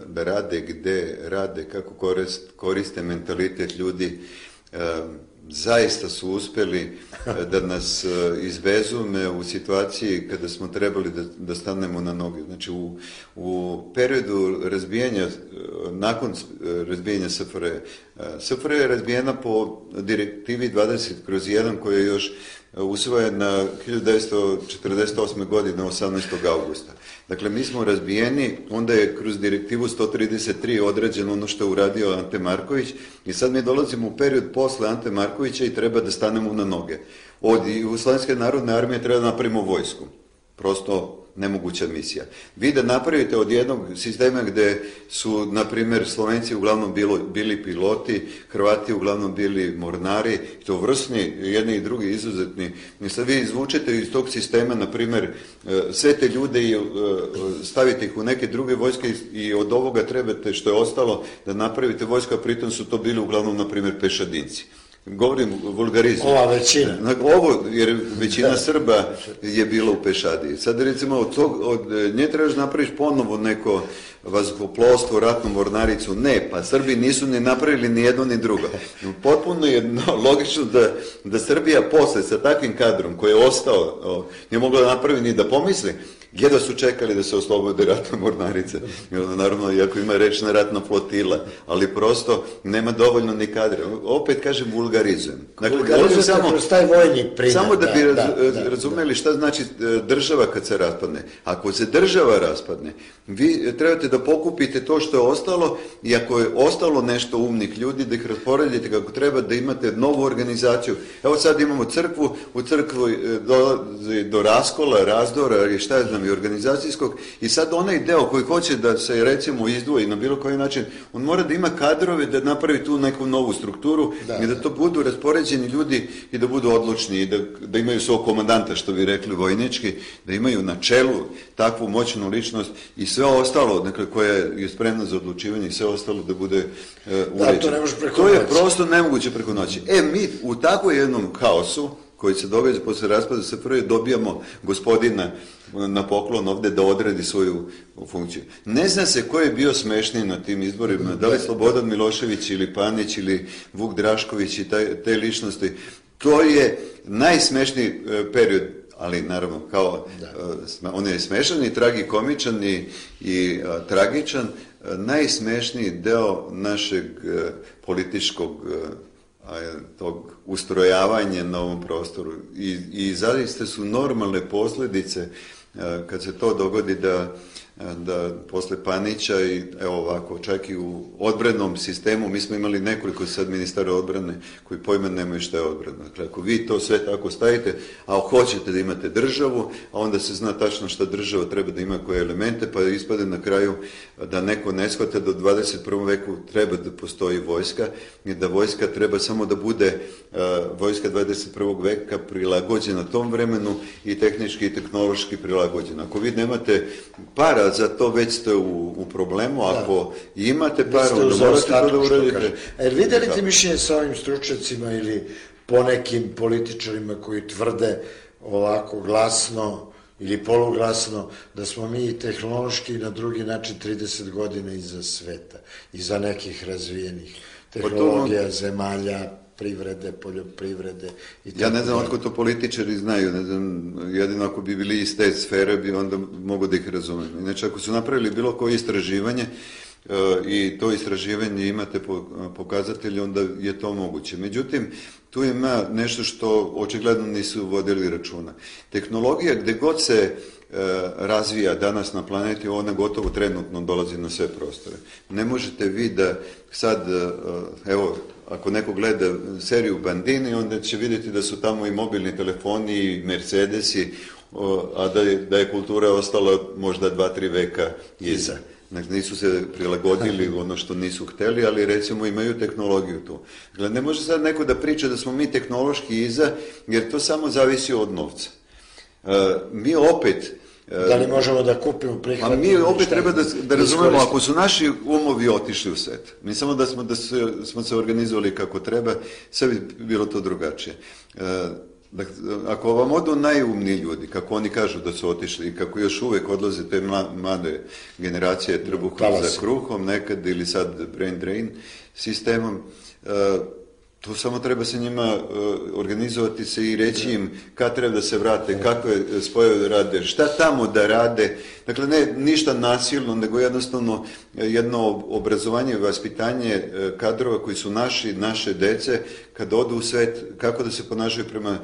da rade, gde rade, kako koriste mentalitet ljudi. Zaista su uspeli da nas izbezume u situaciji kada smo trebali da stanemo na noge. Znači, u periodu razbijanja, nakon razbijanja SFRJ, SFRJ je razbijena po direktivi 20/1 koja je još usvojena 1948. godine 18. augusta. Dakle, mi smo razbijeni, onda je kroz direktivu 133 određeno ono što je uradio Ante Marković i sad mi dolazimo u period posle Ante Markovića i treba da stanemo na noge. Od Jugoslovenske narodne armije treba da napravimo vojsku. Prosto nemoguća misija. Vi da napravite od jednog sistema gde su, na primjer, Slovenci uglavnom bili piloti, Hrvati uglavnom bili mornari, to vrsni, jedni i drugi izuzetni. I sad vi izvučete iz tog sistema, na primjer, sve te ljude i stavite ih u neke druge vojske i od ovoga trebate što je ostalo da napravite vojsku, a pritom su to bili uglavnom, na primjer, pešadinci. Govorim vulgarizmu. Ova većina. Ovo, jer većina Srba je bila u pešadiji. Sad recimo od nje trebaš napraviš ponovo neko vazduhoplovstvo, ratnu mornaricu. Ne, pa Srbi nisu ni napravili ni jedno ni drugo. Potpuno je logično da Srbija posle sa takvim kadrom koji je ostao, nije mogla da napravi ni da pomisli, jedva su čekali da se oslobode ratna mornarica. Naravno, iako ima rečna ratna flotila, ali prosto nema dovoljno ni kadra. Opet kažem vulgarizujem. Vulgarizujem kroz taj vojni primjer. Samo da bi razumeli šta znači država kad se raspadne. Ako se država raspadne, vi trebate da pokupite to što je ostalo i ako je ostalo nešto umnih ljudi, da ih rasporedite kako treba, da imate novu organizaciju. Evo sad imamo crkvu, u crkvu dolazi do raskola, razdora i šta je znam i organizacijskog i sad onaj deo koji hoće da se recimo izdvoji na bilo koji način, on mora da ima kadrove da napravi tu neku novu strukturu i da to budu raspoređeni ljudi i da budu odlučni i da imaju svog komandanta, što bi rekli vojnički, da imaju na čelu takvu moćnu ličnost i sve ostalo, dakle, koja je spremna za odlučivanje i sve ostalo da bude uređeno. To je prosto nemoguće preko noći. Mi u takvom jednom haosu koji se događa posle raspada SFRJ dobijamo gospodina na poklon ovde da odradi svoju funkciju. Ne zna se ko je bio smešniji na tim izborima, da li Slobodan Milošević ili Panić ili Vuk Drašković i te ličnosti. To je najsmešniji period, ali naravno on je smešan i tragikomičan i tragičan, najsmešniji deo našeg političkog tog ustrojavanja na ovom prostoru i zaista su normalne posljedice kad se to dogodi da posle Panića i evo ovako, čak i u odbrannom sistemu, mi smo imali nekoliko sad ministara odbrane koji pojma nemaju šta je odbrana. Dakle, ako vi to sve tako stavite, a hoćete da imate državu, a onda se zna tačno šta država treba da ima koje elemente, pa ispade na kraju da neko ne shvata da u 21. veku treba da postoji vojska i da vojska treba samo da bude vojska 21. veka prilagođena tom vremenu i tehnički i tehnološki prilagođena. Ako vi nemate para za to, već ste u problemu, ako imate para, onda morate to da uradite. Videli ti mišljenje sa ovim stručnjacima ili ponekim političarima koji tvrde ovako glasno ili poluglasno da smo mi tehnološki na drugi način 30 godina iza sveta, iza nekih razvijenih tehnologija, zemalja, privrede, poljoprivrede i tako. Ja ne znam otko to političari znaju, ne znam, jedino ako bi bili iz te sfere bi onda mogu da ih razumem. Inače, ako su napravili bilo koje istraživanje i to istraživanje imate pokazatelje, onda je to moguće. Međutim, tu ima nešto što očigledno nisu vodili računa. Tehnologija gde god se razvija danas na planeti, ona gotovo trenutno dolazi na sve prostore. Ne možete vi da sad, evo, ako neko gleda seriju Bandini, onda će vidjeti da su tamo i mobilni telefoni i Mercedesi, a da je kultura ostala možda 2-3 veka iza. Znači, nisu se prilagodili ono što nisu hteli, ali recimo imaju tehnologiju tu. Dakle, ne može sad neko da priča da smo mi tehnološki iza, jer to samo zavisi od novca. Mi opet... Da li možemo da kupimo prihvatimo? Mi opet treba da razumemo, ako su naši umovi otišli u svet, mi samo da smo se organizovali kako treba, sve bi bilo to drugačije. Dakle, ako vam odu najumniji ljudi, kako oni kažu da su otišli i kako još uvek odlaze te mlade generacije trbuhom za kruhom nekad ili sad brain drain sistemom, to samo treba se njima organizovati se i reći im kad treba da se vrate, kakve spojeve da rade, šta tamo da rade. Dakle, ne ništa nasilno, nego jednostavno jedno obrazovanje i vaspitanje kadrova koji su naše dece, kad odu u svet, kako da se ponašaju prema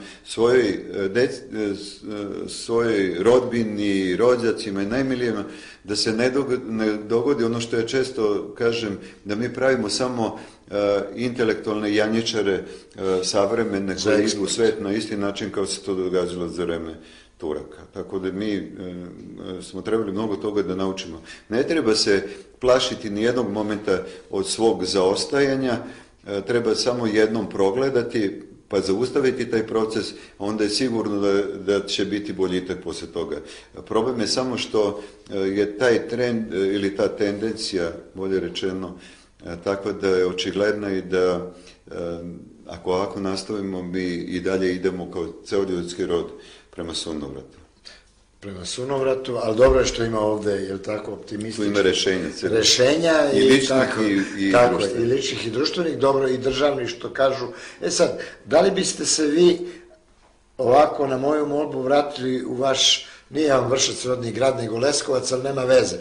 svojoj rodbini, rođacima i najmilijima, da se ne dogodi ono što ja često kažem, da mi pravimo samo intelektualne janjičare savremene koje idu u svet na isti način kao se to događalo za vreme Turaka. Tako da mi smo trebali mnogo toga da naučimo. Ne treba se plašiti ni jednog momenta od svog zaostajanja, treba samo jednom progledati pa zaustaviti taj proces, onda je sigurno da će biti boljitak posle toga. Problem je samo što je taj trend ili ta tendencija, bolje rečeno, tako da je očigledna i da ako ovako nastavimo mi i dalje idemo kao ceo ljudski rod prema sunovratu. Prema sunovratu, ali dobro je što ima ovde, je li tako, optimistično? Tu ima rešenja i ličnih i društvenih. I ličnih i društvenih, dobro i državnih što kažu. Sad, da li biste se vi ovako na moju molbu vratili u vaš Nije vam Vršac rodni grad, nego Leskovac, ali nema veze.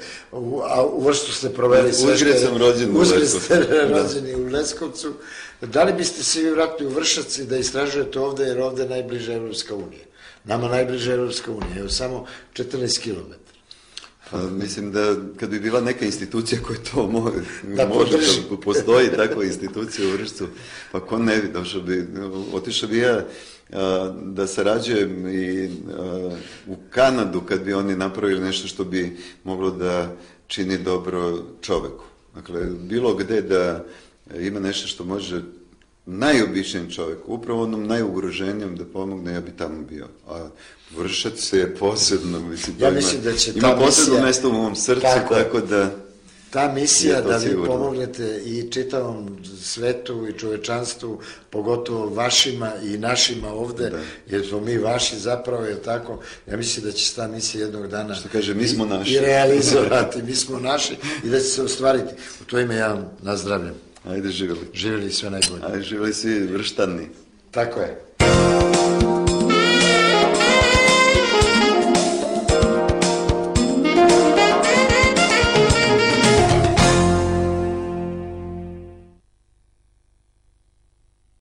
A u Vršcu ste proveli sve. Uzgred sam rođen u Leskovcu. Uzgred ste rođeni u Leskovcu. Da li biste se vi vratili u Vršac i da istražujete ovde, jer ovde je najbliža Evropska unija? Nama najbliža Evropska unija, evo samo 14 km. Mislim da kad bi bila neka institucija koja to može da postoji takva institucija u Vršcu, pa ko ne bi došao bi, otišao bi ja da sarađujem i u Kanadu kad bi oni napravili nešto što bi moglo da čini dobro čoveku. Dakle, bilo gde da ima nešto što može najobičnijem čovjeku, upravo onom najugroženijem da pomogne, ja bi tamo bio. A Vršac je posebno, mislim, ja mislim da će ima posebno mesto u mom srcu, tako da... Ta misija da vi pomognete i čitavom svetu i čovečanstvu, pogotovo vašima i našima ovde, jer smo mi vaši zapravo, je tako, ja mislim da će se ta misija jednog dana što kaže, mi smo naši. I realizovati, mi smo naši i da će se ostvariti. U to ime ja vam nazdravljam. Ajde, živjeli. Živjeli sve najbolje. Ajde, živjeli svi Vrštani. Tako je.